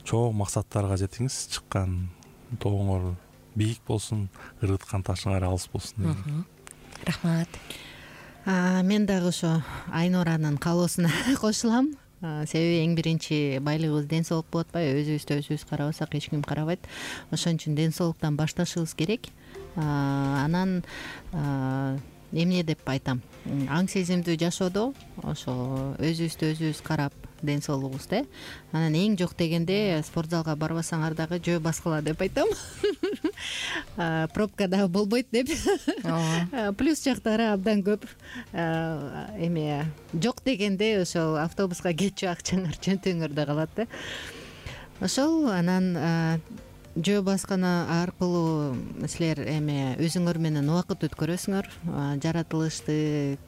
Чоң максаттарга жетиңиз, чыккан тоңор бийик болсун, ыргыткан ташыңар алыс болсун. Рахмат. Мен дагы ошо Айнуранын каалоосуна кошулам. Себеби эң биринчи байлыгыбыз ден соолук болуп атпайбы? Өзүбүздү өзүбүз карабасак эч ким карабайт. Ошон үчүн ден соолуктан башташыбыз керек. Анан эмне деп айтам? Аң сезимдүү жашоодо ошо өзүбүздү өзүбүз карап, ден соолугубузду. Анан эң жок дегенде спортзалга барбасаңар дагы жөө баскыла деп айтам. Пробка дагы болбойт деп. Плюс жактары абдан көп. Эме жок дегенде ошол автобуска кетчү акчаңар чөнтөгүңөрдө калат да. Ошол анан жөө басканы аркылуу силер эме өзүңөр менен убакыт өткөрөсүңөр, жаратылышты,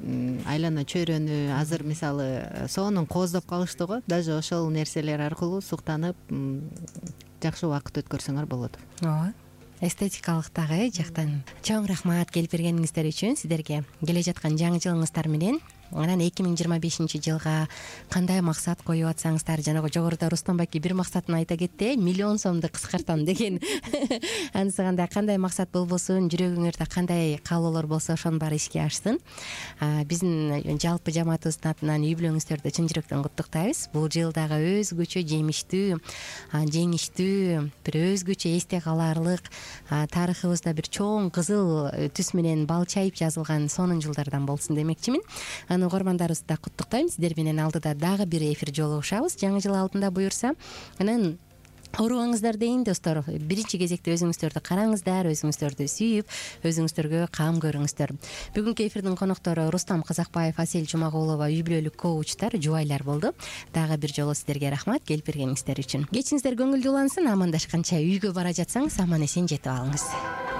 айлана чөйрөнү. Азыр мисалы соонун кооздоп калыштыгы, даже ошол нерселер аркылуу суктанып жакшы убакыт өткөрсөңөр болот. Ооба. Эстетикалык дагы жактан. Чоң рахмат келип бергениңиздер үчүн. Сиздерге келе жаткан жаңы жылыңыздар менен анан эки миң жыйырма бешинчи жылга кандай максат коюп атсаңыздар, жанагы жогоруда Рустам байке бир максатын айта кетти, миллион сомду кыскартам деген. Анысы кандай кандай максат болбосун, жүрөгүңөрдө кандай каалоолор болсо, ошонун баары ишке ашсын. Биздин жалпы жамаатыбыздын атынан үй бүлөңүздөрдү чын жүрөктөн куттуктайбыз. Бул жыл дагы өзгөчө жемиштүү, жеңиштүү, бир өзгөчө эсте калаарлык, тарыхыбызда бир чоң кызыл түс менен бал чайып жазылган сонун жылдардан болсун демекчимин. Анын угармандарыбызды да куттуктайм. Сиздер менен алдыда дагы бир эфир жолугушабыз, жаңы жыл алдында буюрса. Анан оорубаңыздар дейин, достор. Биринчи кезекте өзүңүздөрдү караңыздар, өзүңүздөрдү сүйүп, өзүңүздөргө кам көрүңүздөр. Бүгүнкү эфирдин коноктору Рустам Казакбаев, Асель Жумагулова, үй бүлөлүк коучтар, жубайлар болду. Дагы бир жолу сиздерге рахмат келип бергениңиздер үчүн. Кечиңиздер көңүлдүү улансын. Амандашканча үйгө бара жатсаңыз аман эсен жетип алыңыз.